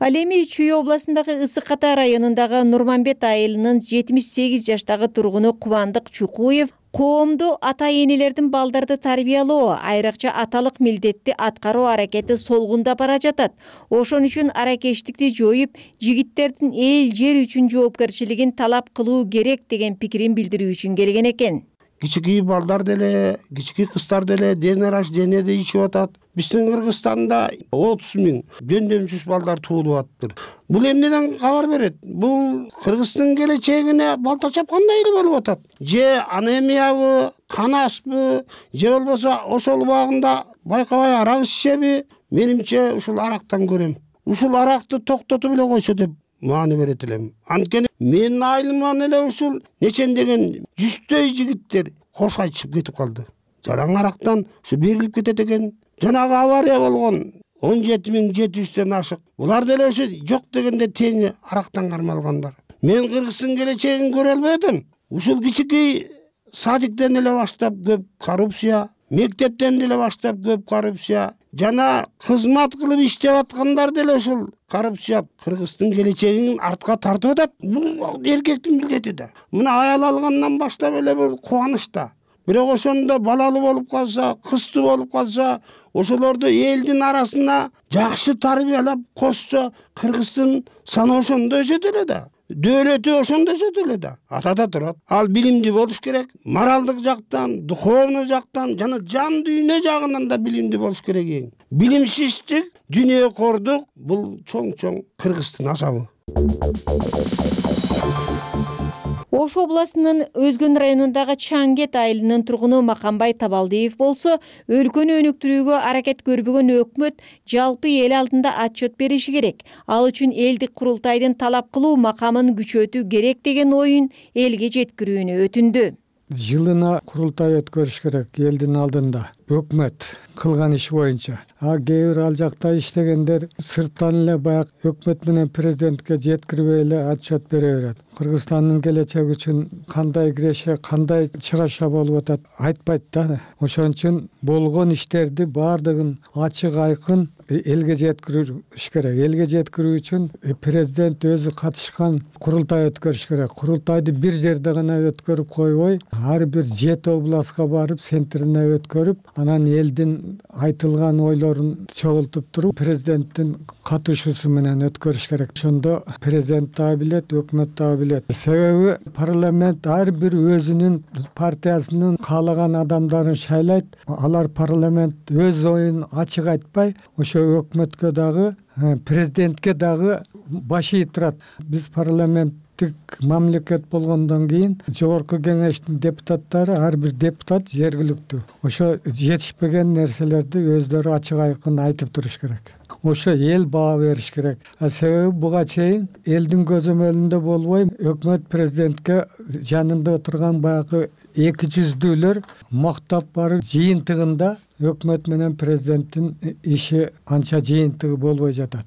Speaker 6: Ал эми Чүй областындагы Ысык Ата районундагы Нурманбет айылынын 78 жаштагы тургуну Кубандык Чукуев коомдо ата-энелердин балдарды тарбиялоо, айрыкча аталык милдетти аткаруу аракети солгунда бара жатат. Ошон үчүн аракештикти жоюп, жигиттердин эл жер үчүн жоопкерчилигин талап кылуу керек деген пикирин билдирүү үчүн келген экен.
Speaker 18: Кичикей балдар деле, кичикей кыздар деле ден рождениеде ичип атат. Биздин Кыргызстанда 30,000 жөндөмчүс балдар туулуп атыптыр. Бул эмнеден кабар берет? Бул Кыргыздын келечегине балта чапкандай эле болуп атат. Же анемиябы, кан аспы, же болбосо ошол убагында байкабай арак ичеби? Менимче ушул арактан көрөм. Ушул аракты токтотуп эле койсо деп маани берет элем. Анткени менин айылыман эле ушул нечендеген 100дөй жигиттер кош айтышып кетип калды. Жараң арактан ушу берилип кетет экен. Жанагы авария болгон 17,700ден ашык. Булар деле ошо жок дегенде тең арактан кармалгандар. Мен Кыргыздын келечегин көрө албадым. Ушул кичикей садиктен эле баштап көп коррупция, мектептен деле баштап көп коррупция, жана кызмат кылып иштеп аткандар деле ушул коррупция Кыргыздын келечегин артка тартып атат. Бул эркектин милдети да. Мына аял алгандан баштап эле бул кубаныч да. Бирок ошондо балалы болуп калса, кызды болуп калса, ошолорду элдин арасына жакшы тарбиялап кошсо, Кыргыздын саны ошондо өсөт эле да. Дөөлөтү ошондо өсөт эле да. Атада турат. Ал билимдүү болуш керек. Моралдык жактан, духовный жактан жана жан дүйнө жагынан да билимдүү болуш керек эң. Билимсиздик, дүйнөкордук бул чоң-чоң Кыргыздын азабы.
Speaker 6: Ош областынын Өзгөн районундагы Чаңгет айылынын тургуну Маканбай Табалдиев болсо, өлкөнү өнүктүрүүгө аракет көрбөгөн өкмөт жалпы эл алдында отчет бериши керек. Ал үчүн элдик курултайдын талап кылуу макамын күчөтүү керек деген оюн элге жеткирүүнү өтүндү.
Speaker 19: Жылына курултай өткөрүш керек элдин алдында. Өкмөт кылган иш боюнча. Кээ бир ал жакта иштегендер сырттан эле баягы өкмөт менен президентке жеткирбей эле отчет бере берет. Кыргызстандын келечеги үчүн кандай киреше, кандай чыгаша болуп атат айтпайт да. Ошон үчүн болгон иштерди баардыгын ачык айкын элге жеткириш керек. Элге жеткирүү үчүн президент өзү катышкан курултай өткөрүш керек. Курултайды бир жерде гана өткөрүп койбой, ар бир 7 областка барып, центрине өткөрүп, анан элдин айтылган ойлорун чогултуп туруп, президенттин катышуусу менен өткөрүш керек. Ошондо президент дагы билет, өкмөт дагы билет. Себеби парламент ар бир өзүнүн партиясынын каалаган адамдарын шайлайт. Алар парламент өз оюн ачык айтпай, ошо өкмөткө дагы, президентке дагы баш ийип турат. Биз парламент мемлекеттик мамлекет болгондон кийин жогорку кеңештин депутаттары ар бир депутат жергиликтүү ошо жетишпеген нерселерди өздөрү ачык айкын айтып туруш керек. Ошо эл баа бериш керек. Себеби буга чейин элдин көзөмөлүндө болбой өкмөт президентке жанында отурган баягы 200-дүүлөр мактап барып жыйынтыгында өкмөт менен президенттин иши анча жыйынтыгы болбой жатат.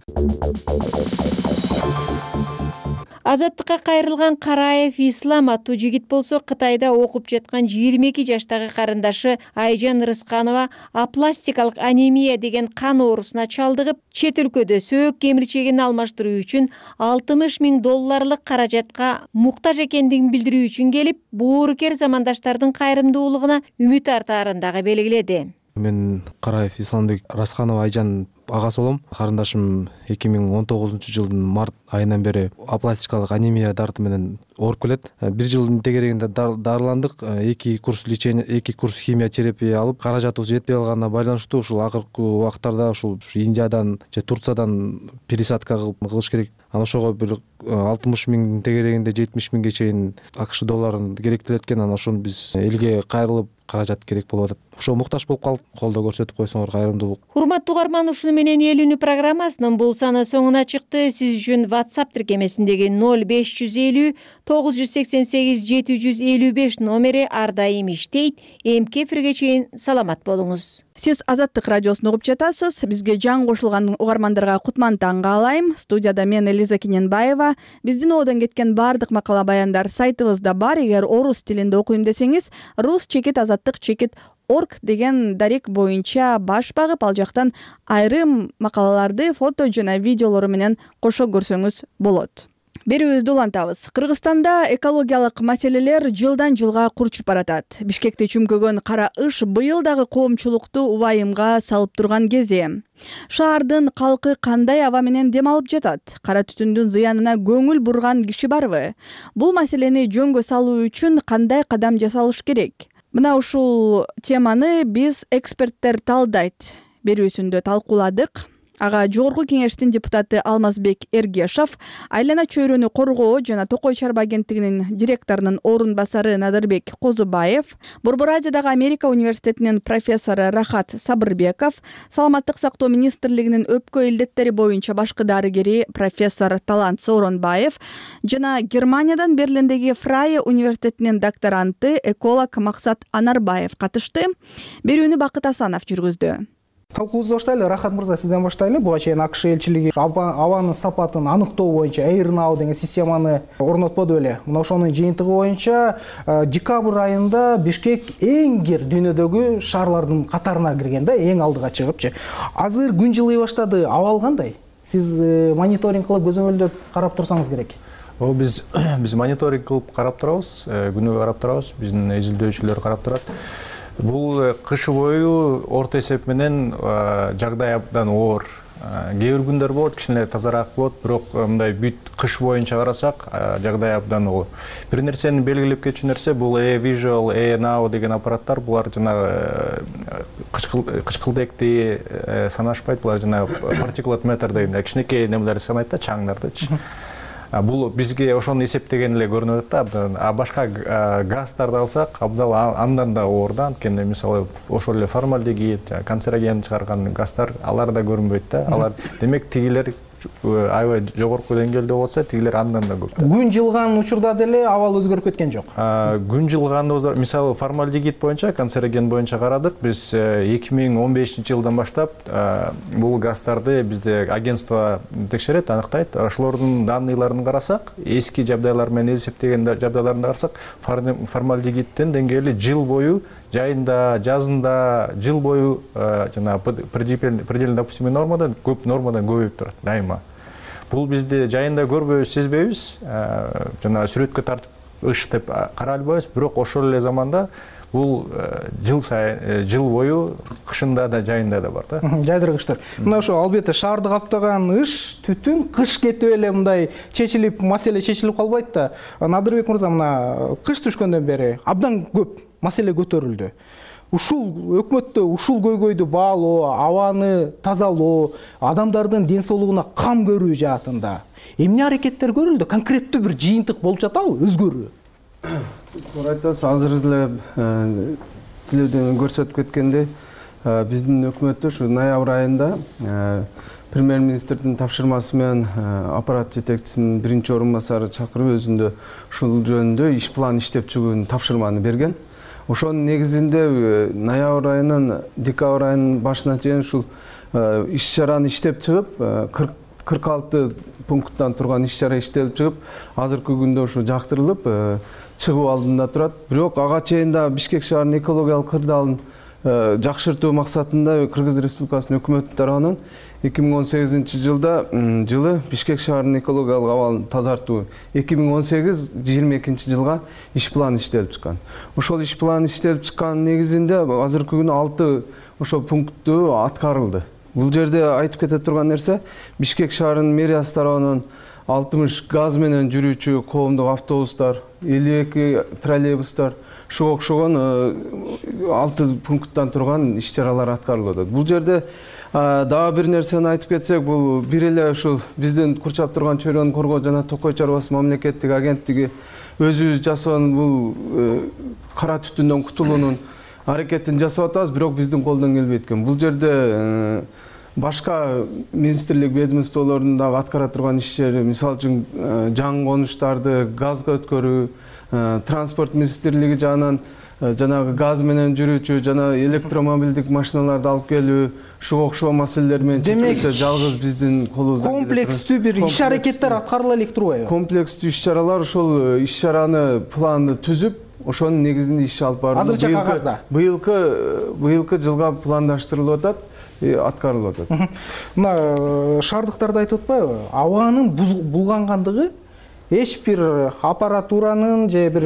Speaker 6: Азаттыкка кайрылган Караев Ислам аттуу жигит болсо Кытайда окуп жаткан 22 жаштагы карындашы Айжан Рысканова апластикалык анемия деген кан оорусуна чалдыгып, чет өлкөдө сөөк кемирчегин алмаштыруу үчүн $60,000 каражатка муктаж экендигин билдирүү үчүн келип, боорукер замандаштардын кайрымдуулугуна үмүт артаарын дагы белгиледи.
Speaker 20: Мен Караев Исламбек Расканова Айжан агасы болом. Карындашым 2019-жылдын март айынан бери апластикалык анемия дарты менен ооруп келет. Бир жылдын тегерегинде дарыландык, 2 курс лечение, 2 курс химия терапия алып, каражатыбыз жетпей калганына байланыштуу ушул акыркы убактарда ушул Индиядан же Турциядан пересадка кылыш керек. Анан ошого бир 60,000 тегерегинде 70,000ге чейин АКШ долларын керектелет экен. Анан ошону биз элге кайрылып каражат керек болуп атат. Ошо муктаж болуп калдык. Колдоо көрсөтүп койсоңор кайрымдуулук.
Speaker 6: Урматтуу угарман, ушуну менен эл үнү программасынын бул саны соңуна чыкты. Сиз үчүн WhatsApp тиркемесиндеги 0550 988 755 номери ар дайым иштейт. Эмки эфирге чейин саламат болуңуз.
Speaker 1: Сиз Азаттык радиосун угуп жатасыз. Бизге жан кошулган угармандарга кутман таң каалайм. Студияда мен Элиза Кененбаева. Биздин оодон кеткен баардык макала баяндар сайтыбызда бар. Эгер орус тилинде окуйм десеңиз, rus-azattik.org деген дарек боюнча баш багып, ал жактан айрым макалаларды фото жана видеолору менен кошо көрсөңүз болот. Берүүбүздү улантабыз. Кыргызстанда экологиялык маселелер жылдан жылга курчуп баратат. Бишкекти чүмкөгөн кара ыш быйыл дагы коомчулукту убайымга салып турган кези. Шаардын калкы кандай аба менен дем алып жатат? Кара түтүндүн зыянына көңүл бурган киши барбы? Бул маселени жөнгө салуу үчүн кандай кадам жасалыш керек? Мына ушул теманы биз эксперттер талдайт берүүсүндө талкууладык. Ага жогорку кеңештин депутаты Алмазбек Эргешов, Айлана чөйрөнү коргоо жана Токой чарба агенттигинин директорунун орун басары Надырбек Козубаев, Борбор Азиядагы Америка университетинин профессору Рахат Сабырбеков, Саламаттык сактоо министрлигинин өпкө илдеттери боюнча башкы дарыгери профессор Талант Сооронбаев жана Германиядан Берлиндеги Фрайе университетинин докторанты эколог Максат Анарбаев катышты. Берүүнү Бакыт Асанов жүргүздү.
Speaker 21: Талкуубузду баштайлы. Рахат мырза, сизден баштайлы. Буга чейин АКШ элчилиги абанын сапатын аныктоо боюнча AirNow деген системаны орнотподу беле. Мына ошонун жыйынтыгы боюнча декабрь айында Бишкек эң кир дүйнөдөгү шаарлардын катарына кирген да, эң алдыга чыгыпчы. Азыр күн жылый баштады. Абал кандай? Сиз мониторинг кылып көзөмөлдөп карап турсаңыз керек.
Speaker 2: Биз мониторинг кылып карап турабыз, күнүгө карап турабыз. Биздин изилдөөчүлөр карап турат. Бул кыш бою орто эсеп менен жагдай абдан оор. Кээ бир күндөр болот, кичине тазараак болот, бирок мындай бүт кыш боюнча карасак, жагдай абдан оор. Бир нерсени белгилеп кетчү нерсе бул Visual, Now деген аппараттар, булар жанагы кычкылдекти санашпайт, булар жанагы particulate matter деген кичинекей немелерди санайт да, чаңдардычы. Бул бизге ошону эсептеген эле көрүнүп атат да. А башка газдарды алсак, абдан андан да оор да. Анткени мисалы ошол эле формальдегид, канцероген чыгарган газдар алар да көрүнбөйт да. Алар демек тигилер аябай жогорку деңгээлде болсо, тигилер андан да көп.
Speaker 21: Күн жылган учурда деле абал өзгөрүп кеткен жок.
Speaker 2: Күн жылганда мисалы формальдегид боюнча, канцероген боюнча карадык. Биз 2015-жылдан баштап бул газдарды бизде агентство текшерет, аныктайт. Ошолордун данныйларын карасак, эски жабдайлар менен эсептеген жабдайларын карасак, формальдегиддин деңгээли жыл бою жайында, жазында жыл бою жана предельно допустимый нормадан көбөйүп турат дайыма. Бул бизде жайында көрбөйбүз, сезбейбиз, жана сүрөткө тартып ыш деп карай албайбыз, бирок ошол эле заманда бул жыл бою кышында да жайында да бар да.
Speaker 21: Жайдыргычтар. Мына ошо албетте шаарды каптаган ыш, түтүн кыш кетип эле мындай маселе чечилип калбайт да. Надырбек мырза, мына кыш түшкөндөн бери абдан көп маселе көтөрүлдү. ушул өкмөттө ушул көйгөйдү баалоо, абаны тазалоо, адамдардын ден соолугуна кам көрүү жаатында эмне аракеттер көрүлдү? Конкреттүү бир жыйынтык болуп жатабы, өзгөрүү?
Speaker 4: Туура айтасыз, азыр эле тилөөдөн көрсөтүп кеткендей, биздин өкмөттө ушу ноябрь айында премьер-министрдин тапшырмасы менен аппарат жетекчисинин биринчи орун басары чакырып өзүндө ушул жөнүндө иш план иштеп чыгуунун тапшырманы берген. Ошонун негизинде ноябрь айынан декабрь айынын башына чейин ушул иш-чараны иштеп чыгып, 46 пункттан турган иш-чара иштелип чыгып, азыркы күндө ушу жактырылып, чыгуу алдында турат. Бирок ага чейин да Бишкек шаарынын экологиялык кырдаалын жакшыртуу максатында Кыргыз Республикасынын өкмөтү тарабынан 2018 жылы Бишкек шаарынын экологиялык абалын тазартуу 2018-22 жылга иш план иштелип чыккан. Ошол иш план иштелип чыккан негизинде азыркы күнү 6 ошол пунктту аткарылды. Бул жерде айтып кете турган нерсе, Бишкек шаарынын мэриясы тарабынан 60 газ менен жүрүүчү коомдук автобустар, 52 троллейбустар, ушуга окшогон 6 пункттан турган иш-чаралар аткарылып атат. Бул жерде дагы бир нерсени айтып кетсек, бул бир эле ушул биздин курчап турган чөйрөнү коргоо жана Токой чарбасы мамлекеттик агенттиги өзүбүз жасаган бул кара түтүндөн кутулуунун аракетин жасап атабыз, бирок биздин колдон келбей экен. Бул жерде башка министрлик ведомстволордун дагы аткара турган иштери, мисалы үчүн жаңы конуштарды газга өткөрүү, транспорт министрлиги жагынан жанагы газ менен жүрүүчү жана электромобилдик машиналарды алып келүү, ушуга окшогон маселелер менен чечилсе жалгыз биздин колубуздан
Speaker 21: комплекстүү бир иш аракеттер аткарыла элек турбайбы?
Speaker 4: Комплекстүү иш-чаралар, ошол иш-чараны планды түзүп, ошонун негизинде иш алып барылып,
Speaker 21: азырынча кагазда
Speaker 4: быйылкы жылга пландаштырылып атат, аткарылып атат.
Speaker 21: Мына шаардыктарда айтып атпайбы? Абанын булгангандыгы эч бир аппаратуранын же бир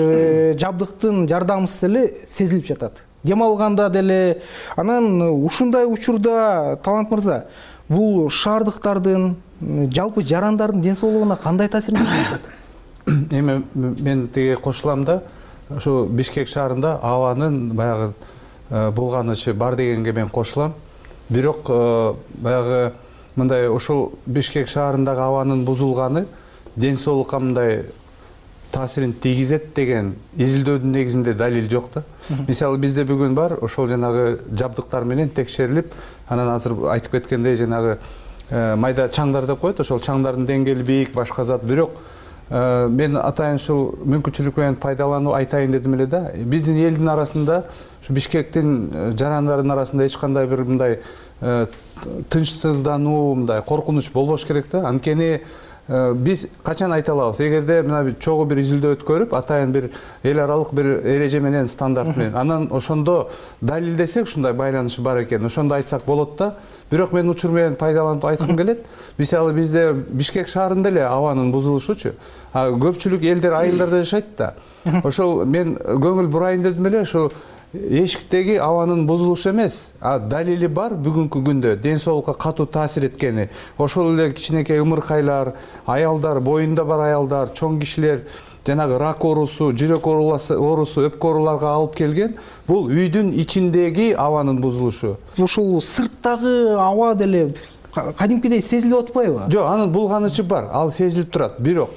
Speaker 21: жабдыктын жардамысыз эле сезилип жатат. Дем алганда деле. Анан ушундай учурда Талант мырза, бул шаардыктардын, жалпы жарандардын ден соолугуна кандай таасирин тийгизет?
Speaker 2: Эми мен тиги кошулам да, ошо Бишкек шаарында абанын баягы булганышы бар дегенге мен кошулам. Бирок баягы мындай ошол Бишкек шаарындагы абанын бузулганы ден соолукка мындай таасирин тийгизет деген изилдөөдүн негизинде далил жок да. Мисалы бизде бүгүн бар, ошол жанагы жабдыктар менен текшерилип, анан азыр айтып кеткендей жанагы майда чаңдар деп коет, ошол чаңдардын деңгээли бийик, башка зат. Бирок мен атайын ушул мүмкүнчүлүк менен пайдалануу айтайын дедим эле да. Биздин элдин арасында, ушу Бишкектин жарандардын арасында эч кандай бир мындай тынчсыздануу, мындай коркунуч болбош керек да. Анткени биз качан айта алабыз, эгерде мына чогуу бир изилдөө өткөрүп, атайын бир эл аралык бир эреже менен, стандарт менен, анан ошондо далилдесек ушундай байланышы бар экен, ошондо айтсак болот да. Бирок мен учур менен пайдаланып айткым келет. Мисалы бизде Бишкек шаарында эле абанын бузулушучу, көпчүлүк элдер айылдарда жашайт да. Ошол мен көңүл бурайын дедим эле, ошо эшиктеги абанын бузулушу эмес, далили бар бүгүнкү күндө ден соолукка катуу таасир эткени. Ошол эле кичинекей ымыркайлар, аялдар, боюнда бар аялдар, чоң кишилер жанагы рак оорусу, жүрөк оорусу, өпкө ооруларга алып келген. Бул үйдүн ичиндеги абанын бузулушу.
Speaker 21: Ушул сырттагы аба деле кадимкидей сезилип атпайбы?
Speaker 2: Жок, анын булганычы бар, ал сезилип турат. Бирок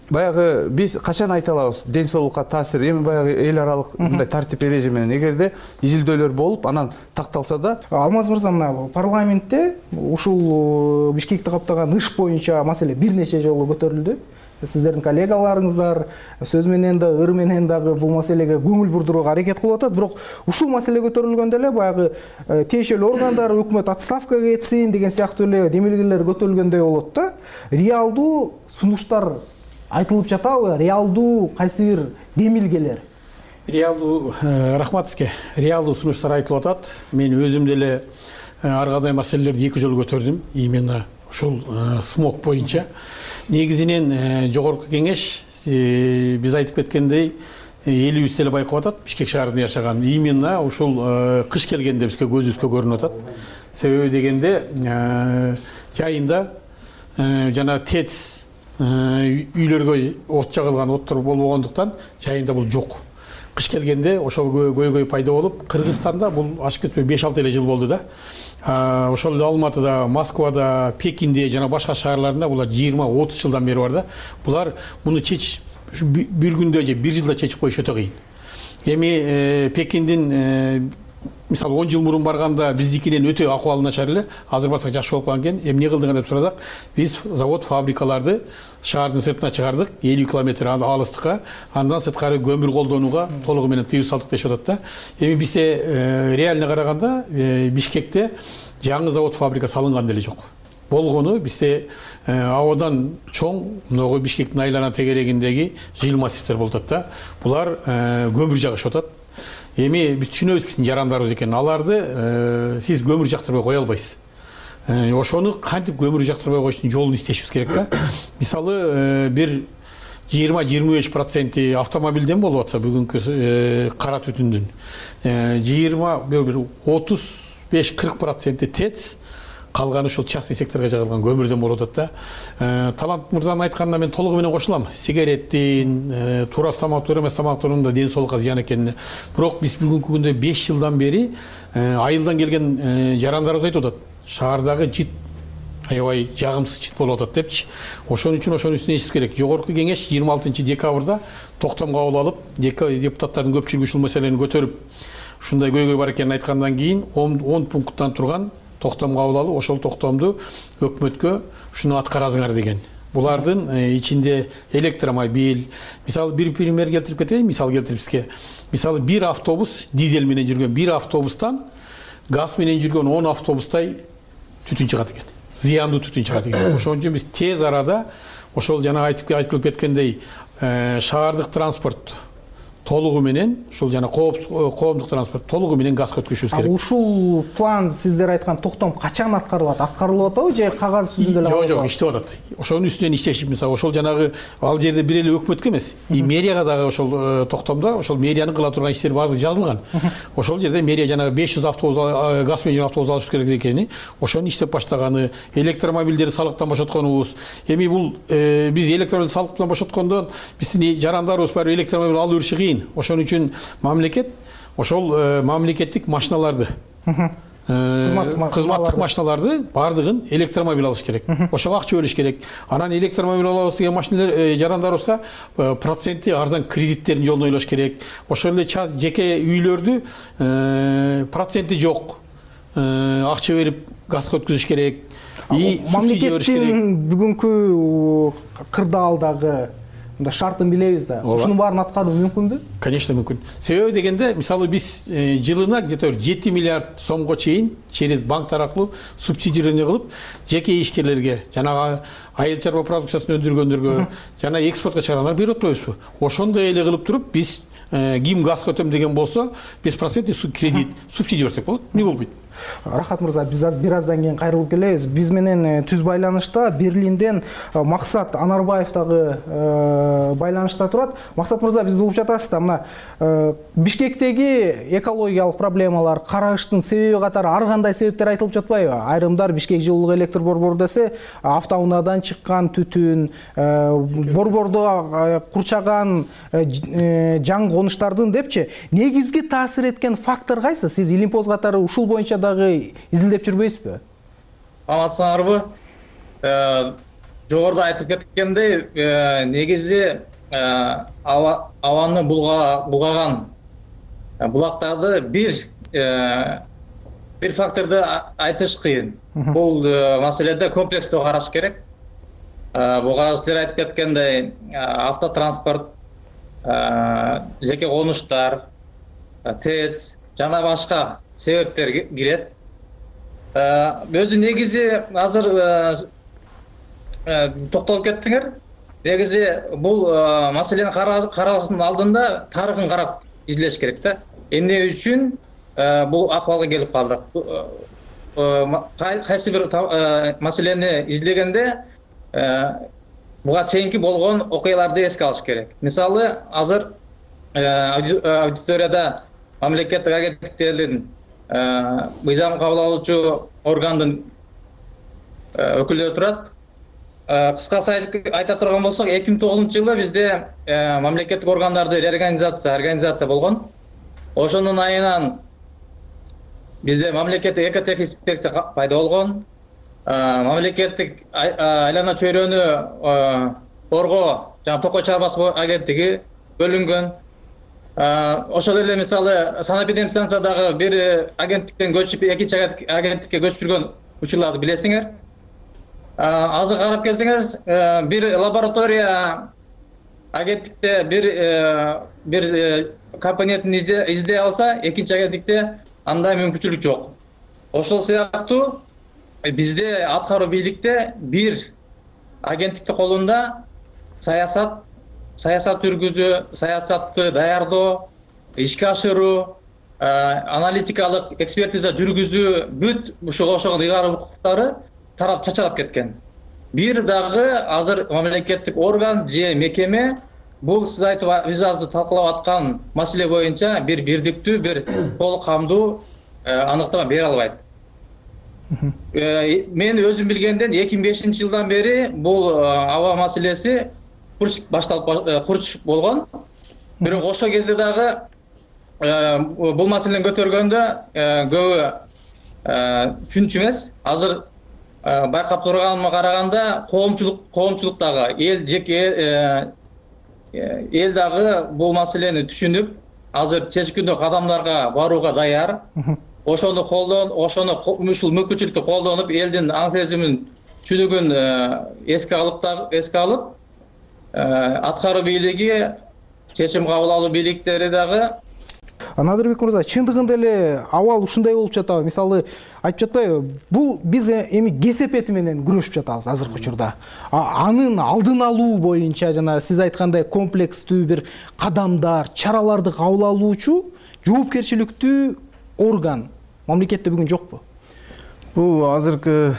Speaker 2: баягы биз качан айта алабыз ден соолукка таасир, эми баягы эл аралык мындай тартип эреже менен эгерде изилдөөлөр болуп анан такталса да.
Speaker 21: Алмаз мырза, мына парламентте ушул Бишкекти каптаган иш боюнча маселе бир нече жолу көтөрүлдү. Сиздердин коллегаларыңыздар сөз менен да, ыр менен дагы бул маселеге көңүл бурдурууга аракет кылып атат. Бирок ушул маселе көтөрүлгөндө эле баягы тиешелүү органдар, өкмөт отставкага кетсин деген сыяктуу эле демилгелер көтөрүлгөндөй болот да. Реалдуу сунуштар айтылып жатабы? Реалдуу кайсы бир демилгелер?
Speaker 22: Реалдуу, рахмат сизге. Реалдуу сунуштар айтылып атат. Мен өзүм деле ар кандай маселелерди 2 жолу көтөрдүм. Именно ушул смог боюнча. Негизинен жогорку кеңеш биз айтып кеткендей элибиз деле байкап атат, Бишкек шаарында жашаган. Именно ушул кыш келгенде бизге көзүбүзгө көрүнүп атат. Себеби дегенде жайында жана ТЭЦ үйлөргө от жагылган, оттор болбогондуктан жайында бул жок. кыш келгенде ошол көйгөй пайда болуп, Кыргызстанда бул ашып кетпей 5-6 эле жыл болду да. Ошол эле Алматыда, Москвада, Пекинде жана башка шаарларында булар 20-30 жылдан бери бар да. Булар муну чечиш бир күндө же бир жылда чечип коюш өтө кыйын. Эми Пекиндин мисалы 10 жыл мурун барганда биздикинен өтө акыбалы начар эле, азыр барсак жакшы болуп калган экен. Эмне кылдык деп сурасак, биз завод, фабрикаларды шаардын сыртына чыгардык, 50 километр алыстыкка, андан сырткары көмүр колдонууга толугу менен тыюу салдык дешип атат да. Эми бизде реально караганда Бишкекте жаңы завод, фабрика салынган деле жок. Болгону бизде абадан чоң могу Бишкектин айлана тегерегиндеги жыл массивдер болуп атат да. Булар көмүр жагышып атат. Эми биз түшүнөбүз биздин жарандарыбыз экенин. Аларды сиз көмүр жактырбай кое албайсыз. Ошону кантип көмүр жактырбай коюштун жолун издешибиз керек да. Мисалы бир 20-25% автомобилден болуп атса бүгүнкү кара түтүндүн 35-40% ТЭЦ, калганы ушул частный секторго жайылган көмүрдөн болуп атат да. Талант мырзанын айтканына мен толугу менен кошулам. Сигареттин, турас тамактуу эмес тамактын да ден соолукка зыян экенин. Бирок биз бүгүнкү күндө 5 жылдан бери айылдан келген жарандарыбыз айтып атат. Шаардагы жит аябай жагымсыз жит болуп атат депчи. Ошон үчүн ошонун үстүнө иштеш керек. Жогорку кеңеш 26 декабрда токтом кабыл алып, депутаттардын көпчүлүгү ушул маселени көтөрүп, ушундай көйгөй бар экенин айткандан кийин 10 пункттан турган токтом кабыл алып, ошол токтомду өкмөткө ушуну аткарасыңар деген. Булардын ичинде электромобиль, мисалы бир пример келтирип кетейин, мисал келтирип бизге. Мисалы бир автобус дизель менен жүргөн бир автобустан газ менен жүргөн 10 автобустай түтүн чыгат экен. Зыяндуу түтүн чыгат экен. Ошон үчүн биз тез арада ошол жана айтылып кеткендей шаардык транспорт толугу менен, ушул жана коомдук транспорт толугу менен газга өткүзүшүбүз керек.
Speaker 21: Ушул план сиздер айткан токтом качан аткарылат? Аткарылып атабы же кагаз жүзүндө эле?
Speaker 22: Жок, иштеп атат. Ошонун үстүнөн иштешип, мисалы ошол жанагы ал жерде бир эле өкмөткө эмес, мэрияга дагы ошол токтомдо ошол мэриянын кыла турган иштери баардыгы жазылган. Ошол жерде мэрия жанагы 500 автобус газ менен автобус алыш керек экени, ошону иштеп баштаганы, электромобилдерди салыктан бошотконубуз. Эми бул биз электромобилди салыктан бошоткондон биздин жарандарыбыз баары электромобиль алып жүрүшү кыйын. Ошон үчүн мамлекет ошол мамлекеттик машиналарды, кызматтык машиналарды баардыгын электромобиль алыш керек. Ошого акча бөлүш керек. Анан электромобиль алабыз деген машиналар жарандарыбызга проценти арзан кредиттерин жолун ойлош керек. Ошол эле жеке үйлөрдү проценти жок акча берип газга өткүзүш керек.
Speaker 21: Мамлекеттин бүгүнкү кырдаалдагы шартын билебиз да. Ушунун баарын аткаруу мүмкүнбү?
Speaker 22: Конечно, мүмкүн. Себеби дегенде, мисалы биз жылына где-то 7 миллиард сомго чейин через банктар аркылуу субсидирование кылып, жеке ишкерлерге, жанагы айыл чарба продукциясын өндүргөндөргө, жана экспортко чыгаргандарга берип атпайбызбы? Ошондой эле кылып туруп, биз ким газ өтөм деген болсо, 5% кредит, субсидия берсек болот. Эмне болбойт?
Speaker 21: Рахат мырза, биз бир аздан кийин кайрылып келебиз. Биз менен түз байланышта Берлинден Максат Анарбаев дагы байланышта турат. Максат мырза, бизди угуп жатасыз да? Мына Бишкектеги экологиялык проблемалар, караштын себеби катары ар кандай себептер айтылып жатпайбы? Айрымдар Бишкек жылуулук электр борбору десе, автоунаадан чыккан түтүн, борбордо курчаган жаңы конуштардын депчи. Негизги таасир эткен фактор кайсы? Сиз Илимпоз катары ушул боюнча изилдеп жүрбөйсүзбү?
Speaker 3: Амансыңарбы? Жогоруда айтып кеткендей, негизи абаны булгаган булактарды бир факторду айтыш кыйын. Бул маселеде комплекстүү караш керек. Буга силер айтып кеткендей, автотранспорт, жеке конуштар, ТЭЦ жана башка себептер кирет. Өзү негизи азыр токтолуп кеттиңер. Негизи бул маселени караштын алдында тарыхын карап изилдеш керек да. Эмне үчүн бул акыбалга келип калдык? Кайсы бир маселени изилдегенде буга чейинки болгон окуяларды эске алыш керек. Мисалы, азыр аудиторияда мамлекеттик агенттиктердин мыйзам кабыл алуучу органдын өкүлдөрү турат. кыскасы айта турган болсок, 2009-жылы бизде мамлекеттик органдарды реорганизация болгон. Ошонун айынан бизде мамлекеттик экотех инспекция пайда болгон. Мамлекеттик айлана чөйрөнү коргоо жана токой чыгармасы агенттиги бөлүнгөн. Ошол эле мисалы санэпидемстанциядагы бир агенттиктен көчүп экинчи агенттикке көчүргөн учурларды билесиңер. Азыр карап келсеңиз, бир лаборатория агенттикте бир компонентин издей алса, экинчи агенттикте андай мүмкүнчүлүк жок. Ошол сыяктуу бизде аткаруу бийликте бир агенттикти колунда саясат жүргүзүү, саясатты даярдоо, ишке ашыруу, аналитикалык экспертиза жүргүзүү бүт ушуга ошогон ыйгарым укуктары тарап чачалап кеткен. Бир дагы азыр мамлекеттик орган же мекеме бул биз азыр талкалап аткан маселе боюнча бир бирдиктүү, бир толук камдуу аныктама бере албайт. Мен өзүм билгенден 2005-жылдан бери бул аба маселеси курч болгон. Бирок ошол кезде дагы бул маселени көтөргөндө көбү түшүнчү эмес. Азыр байкап турганыма караганда коомчулук дагы эл дагы бул маселени түшүнүп, азыр чечкиндүү кадамдарга барууга даяр. Ошону ушул мүмкүнчүлүктү колдонуп, элдин аң сезимин, түшүнүгүн эске алып, аткаруу бийлиги, чечим кабыл алуу бийликтери дагы.
Speaker 21: Надырбек мырза, чындыгында эле абал ушундай болуп жатабы? Мисалы, айтып жатпайбы, бул биз эми кесепети менен күрөшүп жатабыз азыркы учурда. Анын алдын алуу боюнча жана сиз айткандай комплекстүү бир кадамдар, чараларды кабыл алуучу жоопкерчиликтүү орган мамлекетте бүгүн жокпу?
Speaker 4: Бул азыркы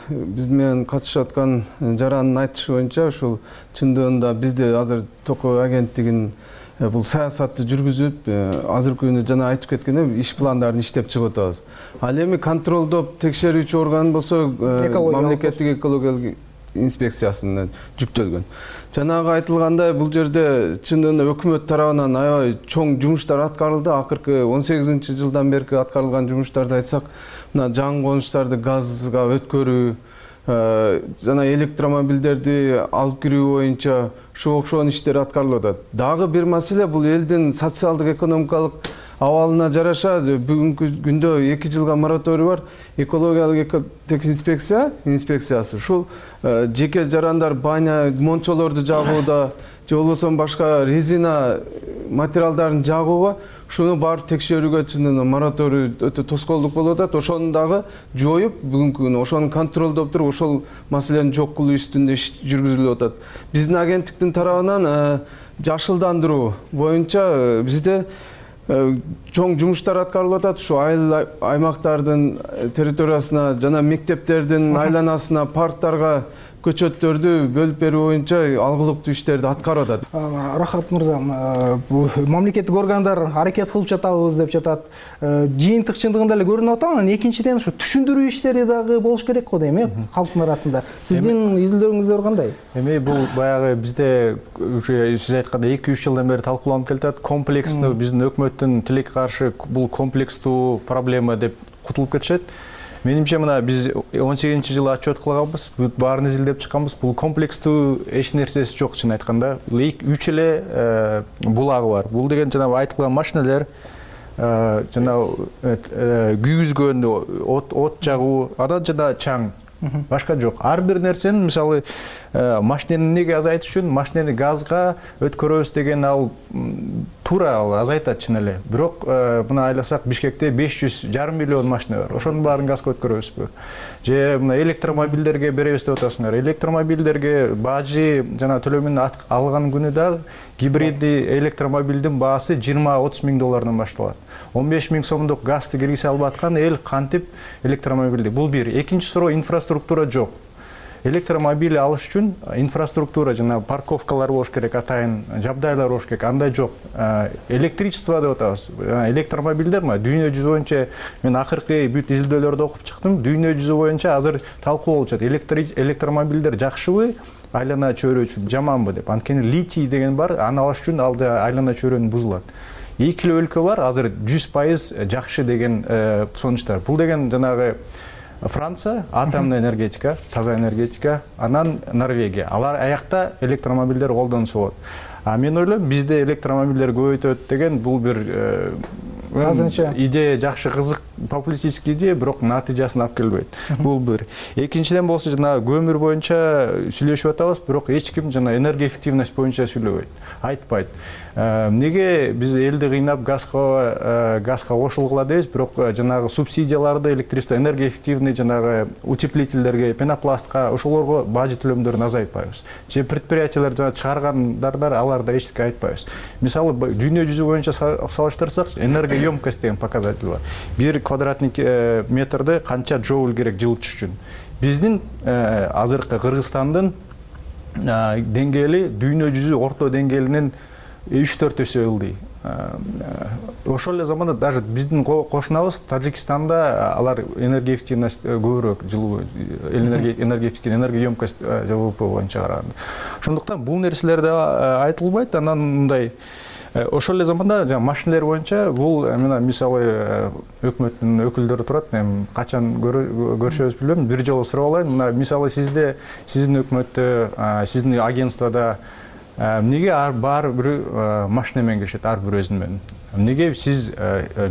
Speaker 4: биз менен катышып аткан жарандын айтышы боюнча ушул чындыгында бизде азыр токой агенттигин бул саясатты жүргүзүп, азыркы күнү жана айтып кеткендей иш пландарын иштеп чыгып атабыз. Ал эми контролдоп текшерүүчү орган болсо мамлекеттик экологиялык инспекциясына жүктөлгөн. Жанагы айтылгандай бул жерде чындыгында өкмөт тарабынан аябай чоң жумуштар аткарылды. Акыркы 18-жылдан берки аткарылган жумуштарды айтсак, мына жаңы конуштарды газга өткөрүү, жана электромобилдерди алып кирүү боюнча окшон иштер аткарылып атат. Дагы бир маселе бул элдин социалдык экономикалык абалына жараша бүгүнкү күндө 2 жылга мораторий бар. Экологиялык экотех инспекциясы ушул жеке жарандар баня мончолорду жагууда же болбосо башка резина материалдарын жагууга шуну барып текшерүүгө чындыгында мораторий өтө тоскоолдук болуп атат. Ошону дагы жоюп, бүгүнкү күнү ошону контролдоп туруп, ошол маселени жок кылуу үстүндө иш жүргүзүлүп атат. Биздин агенттиктин тарабынан жашылдандыруу боюнча бизде чоң жумуштар аткарылып атат. Ушу айыл аймактардын территориясына жана мектептердин айланасына, парктарга көчөттөрдү бөлүп берүү боюнча алгылыктуу иштерди аткарып атат.
Speaker 21: Рахат мырза, мамлекеттик органдар аракет кылып жатабыз деп жатат. Жыйынтык чындыгында эле көрүнүп атат. Анан экинчиден ушу түшүндүрүү иштери дагы болуш керек го дейм, калктын арасында. Сиздин изилдөөрүңүздөр кандай?
Speaker 2: Эми бул баягы бизде уже сиз айткандай 2-3 жылдан бери талкууланып келатат. Комплекстүү биздин өкмөттүн тилекке каршы бул комплекстүү проблема деп кутулуп кетишет. Менимче мына биз 18-жылы отчет кылганбыз, баарын изилдеп чыкканбыз. Бул комплекстүү эч нерсеси жок, чын айтканда. 3 эле булагы бар. Бул деген жанагы айтылган машинелер, жанагы күйгүзгөн, от жагуу, анан жана чаң. Башка жок. Ар бир нерсени, мисалы, машинени эмнеге азайтыш үчүн машинени газга өткөрөбүз деген ал туура азайтат чын эле. Бирок мына айласак Бишкекте 500,5 миллион машина бар. Ошонун баарын газга өткөрөбүзбү? Же мына электромобилдерге беребиз деп атасыңар. Электромобилдерге бажы жана төлөмүн алган күнү да гибриддий электромобилдин баасы 20-30 миң доллардан башталат. 15 миң сомдук газды киргизе албай аткан эл кантип электромобилди? Бул бир. Экинчи суроо, инфраструктура жок. электромобиль алыш үчүн инфраструктура жана парковкалар болуш керек, атайын жабдайлар болуш керек. Андай жок. Электричество деп атабыз. Электромобилдер дүйнө жүзү боюнча мен акыркы бүт изилдөөлөрдү окуп чыктым. Дүйнө жүзү боюнча азыр талкуу болуп жатат. Электромобилдер жакшыбы, айлана чөйрө үчүн жаманбы деп. Анткени литий деген бар, аны алыш үчүн алда айлана чөйрөнү бузулат. Эки эле өлкө бар, азыр 100% жакшы деген сонучтар. Бул деген жанагы Франция, атомный энергетика, таза энергетика, анан Норвегия. Алар аякта электромобилдер колдонуп болот. Мен ойлойм, бизде электромобилдер көбөйтөт деген бул бир азырынча идея жакшы, кызык, популистический идея, бирок натыйжасын алып келбейт. Бул бир. Экинчиден болсо жана көмүр боюнча сүйлөшүп атабыз, бирок эч ким жана энергоэффективность боюнча сүйлөбөйт, айтпайт. Эмнеге биз элди кыйнап газга кошулгула дейбиз, бирок жанагы субсидияларды электричество энергоэффективный жанагы утеплительдерге, пенопластка, ошолорго бажы төлөмдөрүн азайтпайбыз. Же предприятиялар жана чыгаргандар аларда эчтеке айтпайбыз. Мисалы дүйнө жүзү боюнча салыштырсак, энергоемкость деген показатель бар. 1 квадратный метрде канча джоуль керек жылытыш үчүн. Биздин азыркы Кыргызстандын деңгээли дүйнө жүзү орто деңгээлинен 3-4 эсе ылдый. Ошол эле заманда даже биздин кошунабыз Тажикстанда алар энергоэффективность көбүрөөк, жылуу энергоэффективный энергоемкость ЖВП боюнча караганда. Ошондуктан бул нерселер да айтылбайт. Анан мындай ошол эле заманда машинелер боюнча бул мисалы өкмөттүн өкүлдөрү турат, качан көрүшөбүз билбейм, бир жолу сурап алайын. Мисалы сиздин өкмөттө, сиздин агентствода эмнеге ар бир машина менен келишет, ар бир өзүн менен? Эмнеге сиз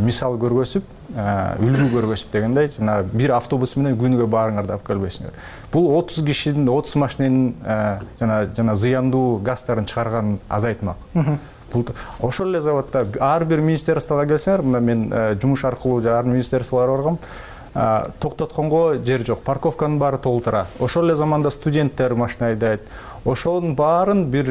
Speaker 2: мисал көргөзүп, үлгү көргөзүп дегендей, жана бир автобус менен күнүгө баарыңарды алып келбейсиңер? Бул 30 кишинин, 30 машиненин жана зыяндуу газдарын чыгарганын азайтмак. Ошол эле заводдо ар бир министерствого келсеңер, мына мен жумуш аркылуу ар министерстволорго баргам, токтотконго жер жок, парковканын баары толтура. Ошол эле заманда студенттер машина айдайт. Ошонун баарын бир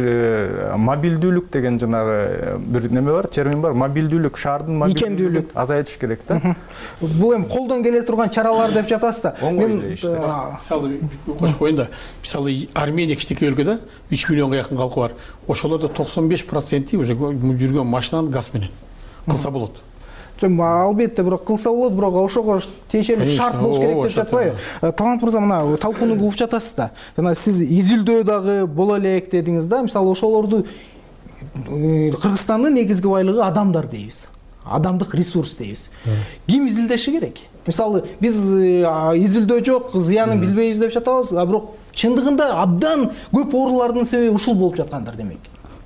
Speaker 2: мобилдүүлүк деген жанагы бир неме бар, термин бар. Мобилдүүлүк, шаардын мобилдүүлүк азайтыш керек да.
Speaker 21: Бул эми колдон келе турган чаралар деп жатасыз да.
Speaker 22: Мен мисалы кошуп коеюн да. Мисалы Армения кичинекей өлкө да, 3 миллионго жакын калкы бар. Ошолордо 95% уже жүргөн машинаны газ менен кылса болот.
Speaker 21: Албетте, бирок кылса болот, бирок ошого тиешелүү шарт болуш керек деп жатпайбы? Талант мырза, мына талкууну угуп жатасыз да. Жана сиз изилдөө дагы боло элек дедиңиз да. Мисалы ошолорду Кыргызстандын негизги байлыгы адамдар дейбиз. Адамдык ресурс дейбиз. Ким изилдеши керек? Мисалы биз изилдөө жок, зыянын билбейбиз деп жатабыз, бирок чындыгында абдан көп оорулардын себеби ушул болуп жаткандыр демек.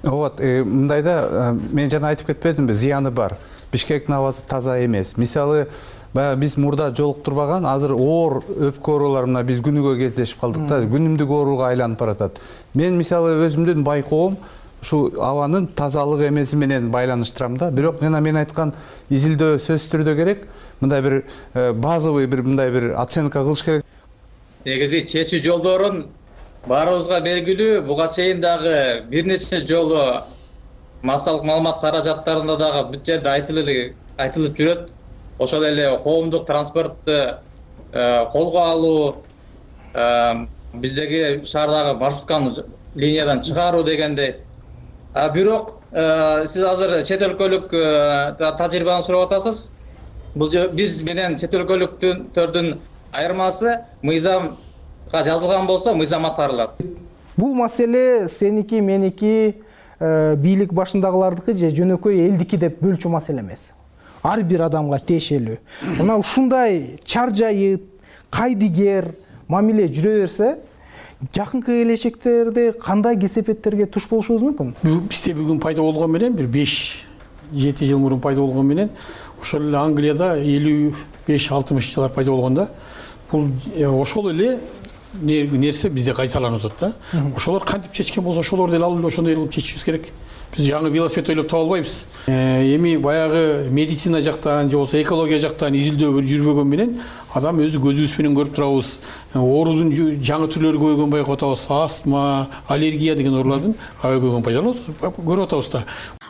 Speaker 7: Вот, мындайда мен жана айтып кетпедимби, зыяны бар. Бишкектин абасы таза эмес. Мисалы, биз мурда жолуктурбаган, азыр оор өпкө оорулар мына биз күнүгө кездешип калдык да, күнүмдүк ооруга айланып баратат. Мен мисалы өзүмдүн байкоом ушул абанын тазалыгы эмеси менен байланыштырам да. Бирок жана мен айткан изилдөө сөзсүз түрдө керек. Мындай бир базовый мындай бир оценка кылыш керек.
Speaker 3: Негизи чечүү жолдорун баарыбызга белгилүү, буга чейин дагы бир нече жолу массалык маалымат каражаттарында дагы бүт жерде айтылып жүрөт. Ошол эле коомдук транспортты колго алуу, биздеги шаардагы маршрутканы линиядан чыгаруу дегендей. Бирок сиз азыр чет өлкөлүк тажрыйбаны сурап атасыз. Бул биз менен чет өлкөлүктөрдүн айырмасы мыйзамга жазылган болсо мыйзам аткарылат.
Speaker 21: Бул маселе сеники, меники, бийлик башындагылардыкы же жөнөкөй элдики деп бөлчү маселе эмес. Ар бир адамга тиешелүү. Мына ушундай чар жайыт, кайдыгер мамиле жүрө берсе, жакынкы келечектерде кандай кесепеттерге туш болушубуз мүмкүн?
Speaker 22: Бизде бүгүн пайда болгон менен бир 5-7 жыл мурун пайда болгон менен ошол эле Англияда 55-60 жылдар пайда болгон да. Бул ошол эле нерсе бизде кайталанып атат да. Ошолор кантип чечкен болсо ошолорду эле алып ошондой кылып чечишибиз керек. Биз жаңы велосипед ойлоп таба албайбыз. Эми баягы медицина жактан же болбосо экология жактан изилдөө жүрбөгөн менен адам өзү көзүбүз менен көрүп турабыз. Оорудун жаңы түрлөрү көбөйгөнүн байкап атабыз. Астма, аллергия деген оорулардын көбөйгөнүн көрүп атабыз да.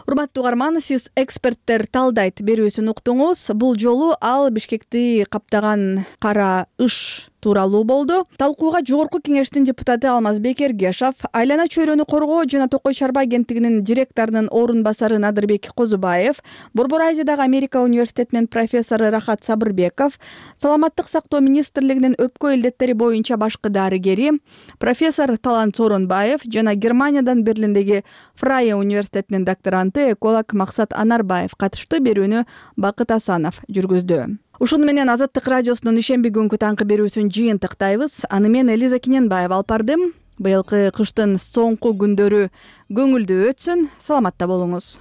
Speaker 1: Урматтуу угарман, сиз эксперттер талдайт берүүсүн уктуңуз. Бул жолу ал Бишкекти каптаган кара ыш тууралуу болду. Талкууга Жогорку Кеңештин депутаты Алмазбек Эргешов, Айлана чөйрөнү коргоо жана Токой Чарба агенттигинин директорунун орун басары Надырбек Козубаев, Борбор Азиядагы Америка университетинин профессору Рахат Сабырбеков, Саламаттык сактоо министрлигинин өпкө илдеттери боюнча башкы дарыгери, профессор Талант Сооронбаев жана Германиядан Берлиндеги Фрайе университетинин докторанты эколог Максат Анарбаев катышты. Берүүнү Бакыт Асанов жүргүздү. Ушуну менен Азаттык радиосунун ишемби күнгү таңкы берүүсүн жыйынтыктайбыз. Аны мен Элиза Кененбаева алып бардым. Быйылкы кыштын соңку күндөрү көңүлдүү өтсүн. Саламатта болуңуз.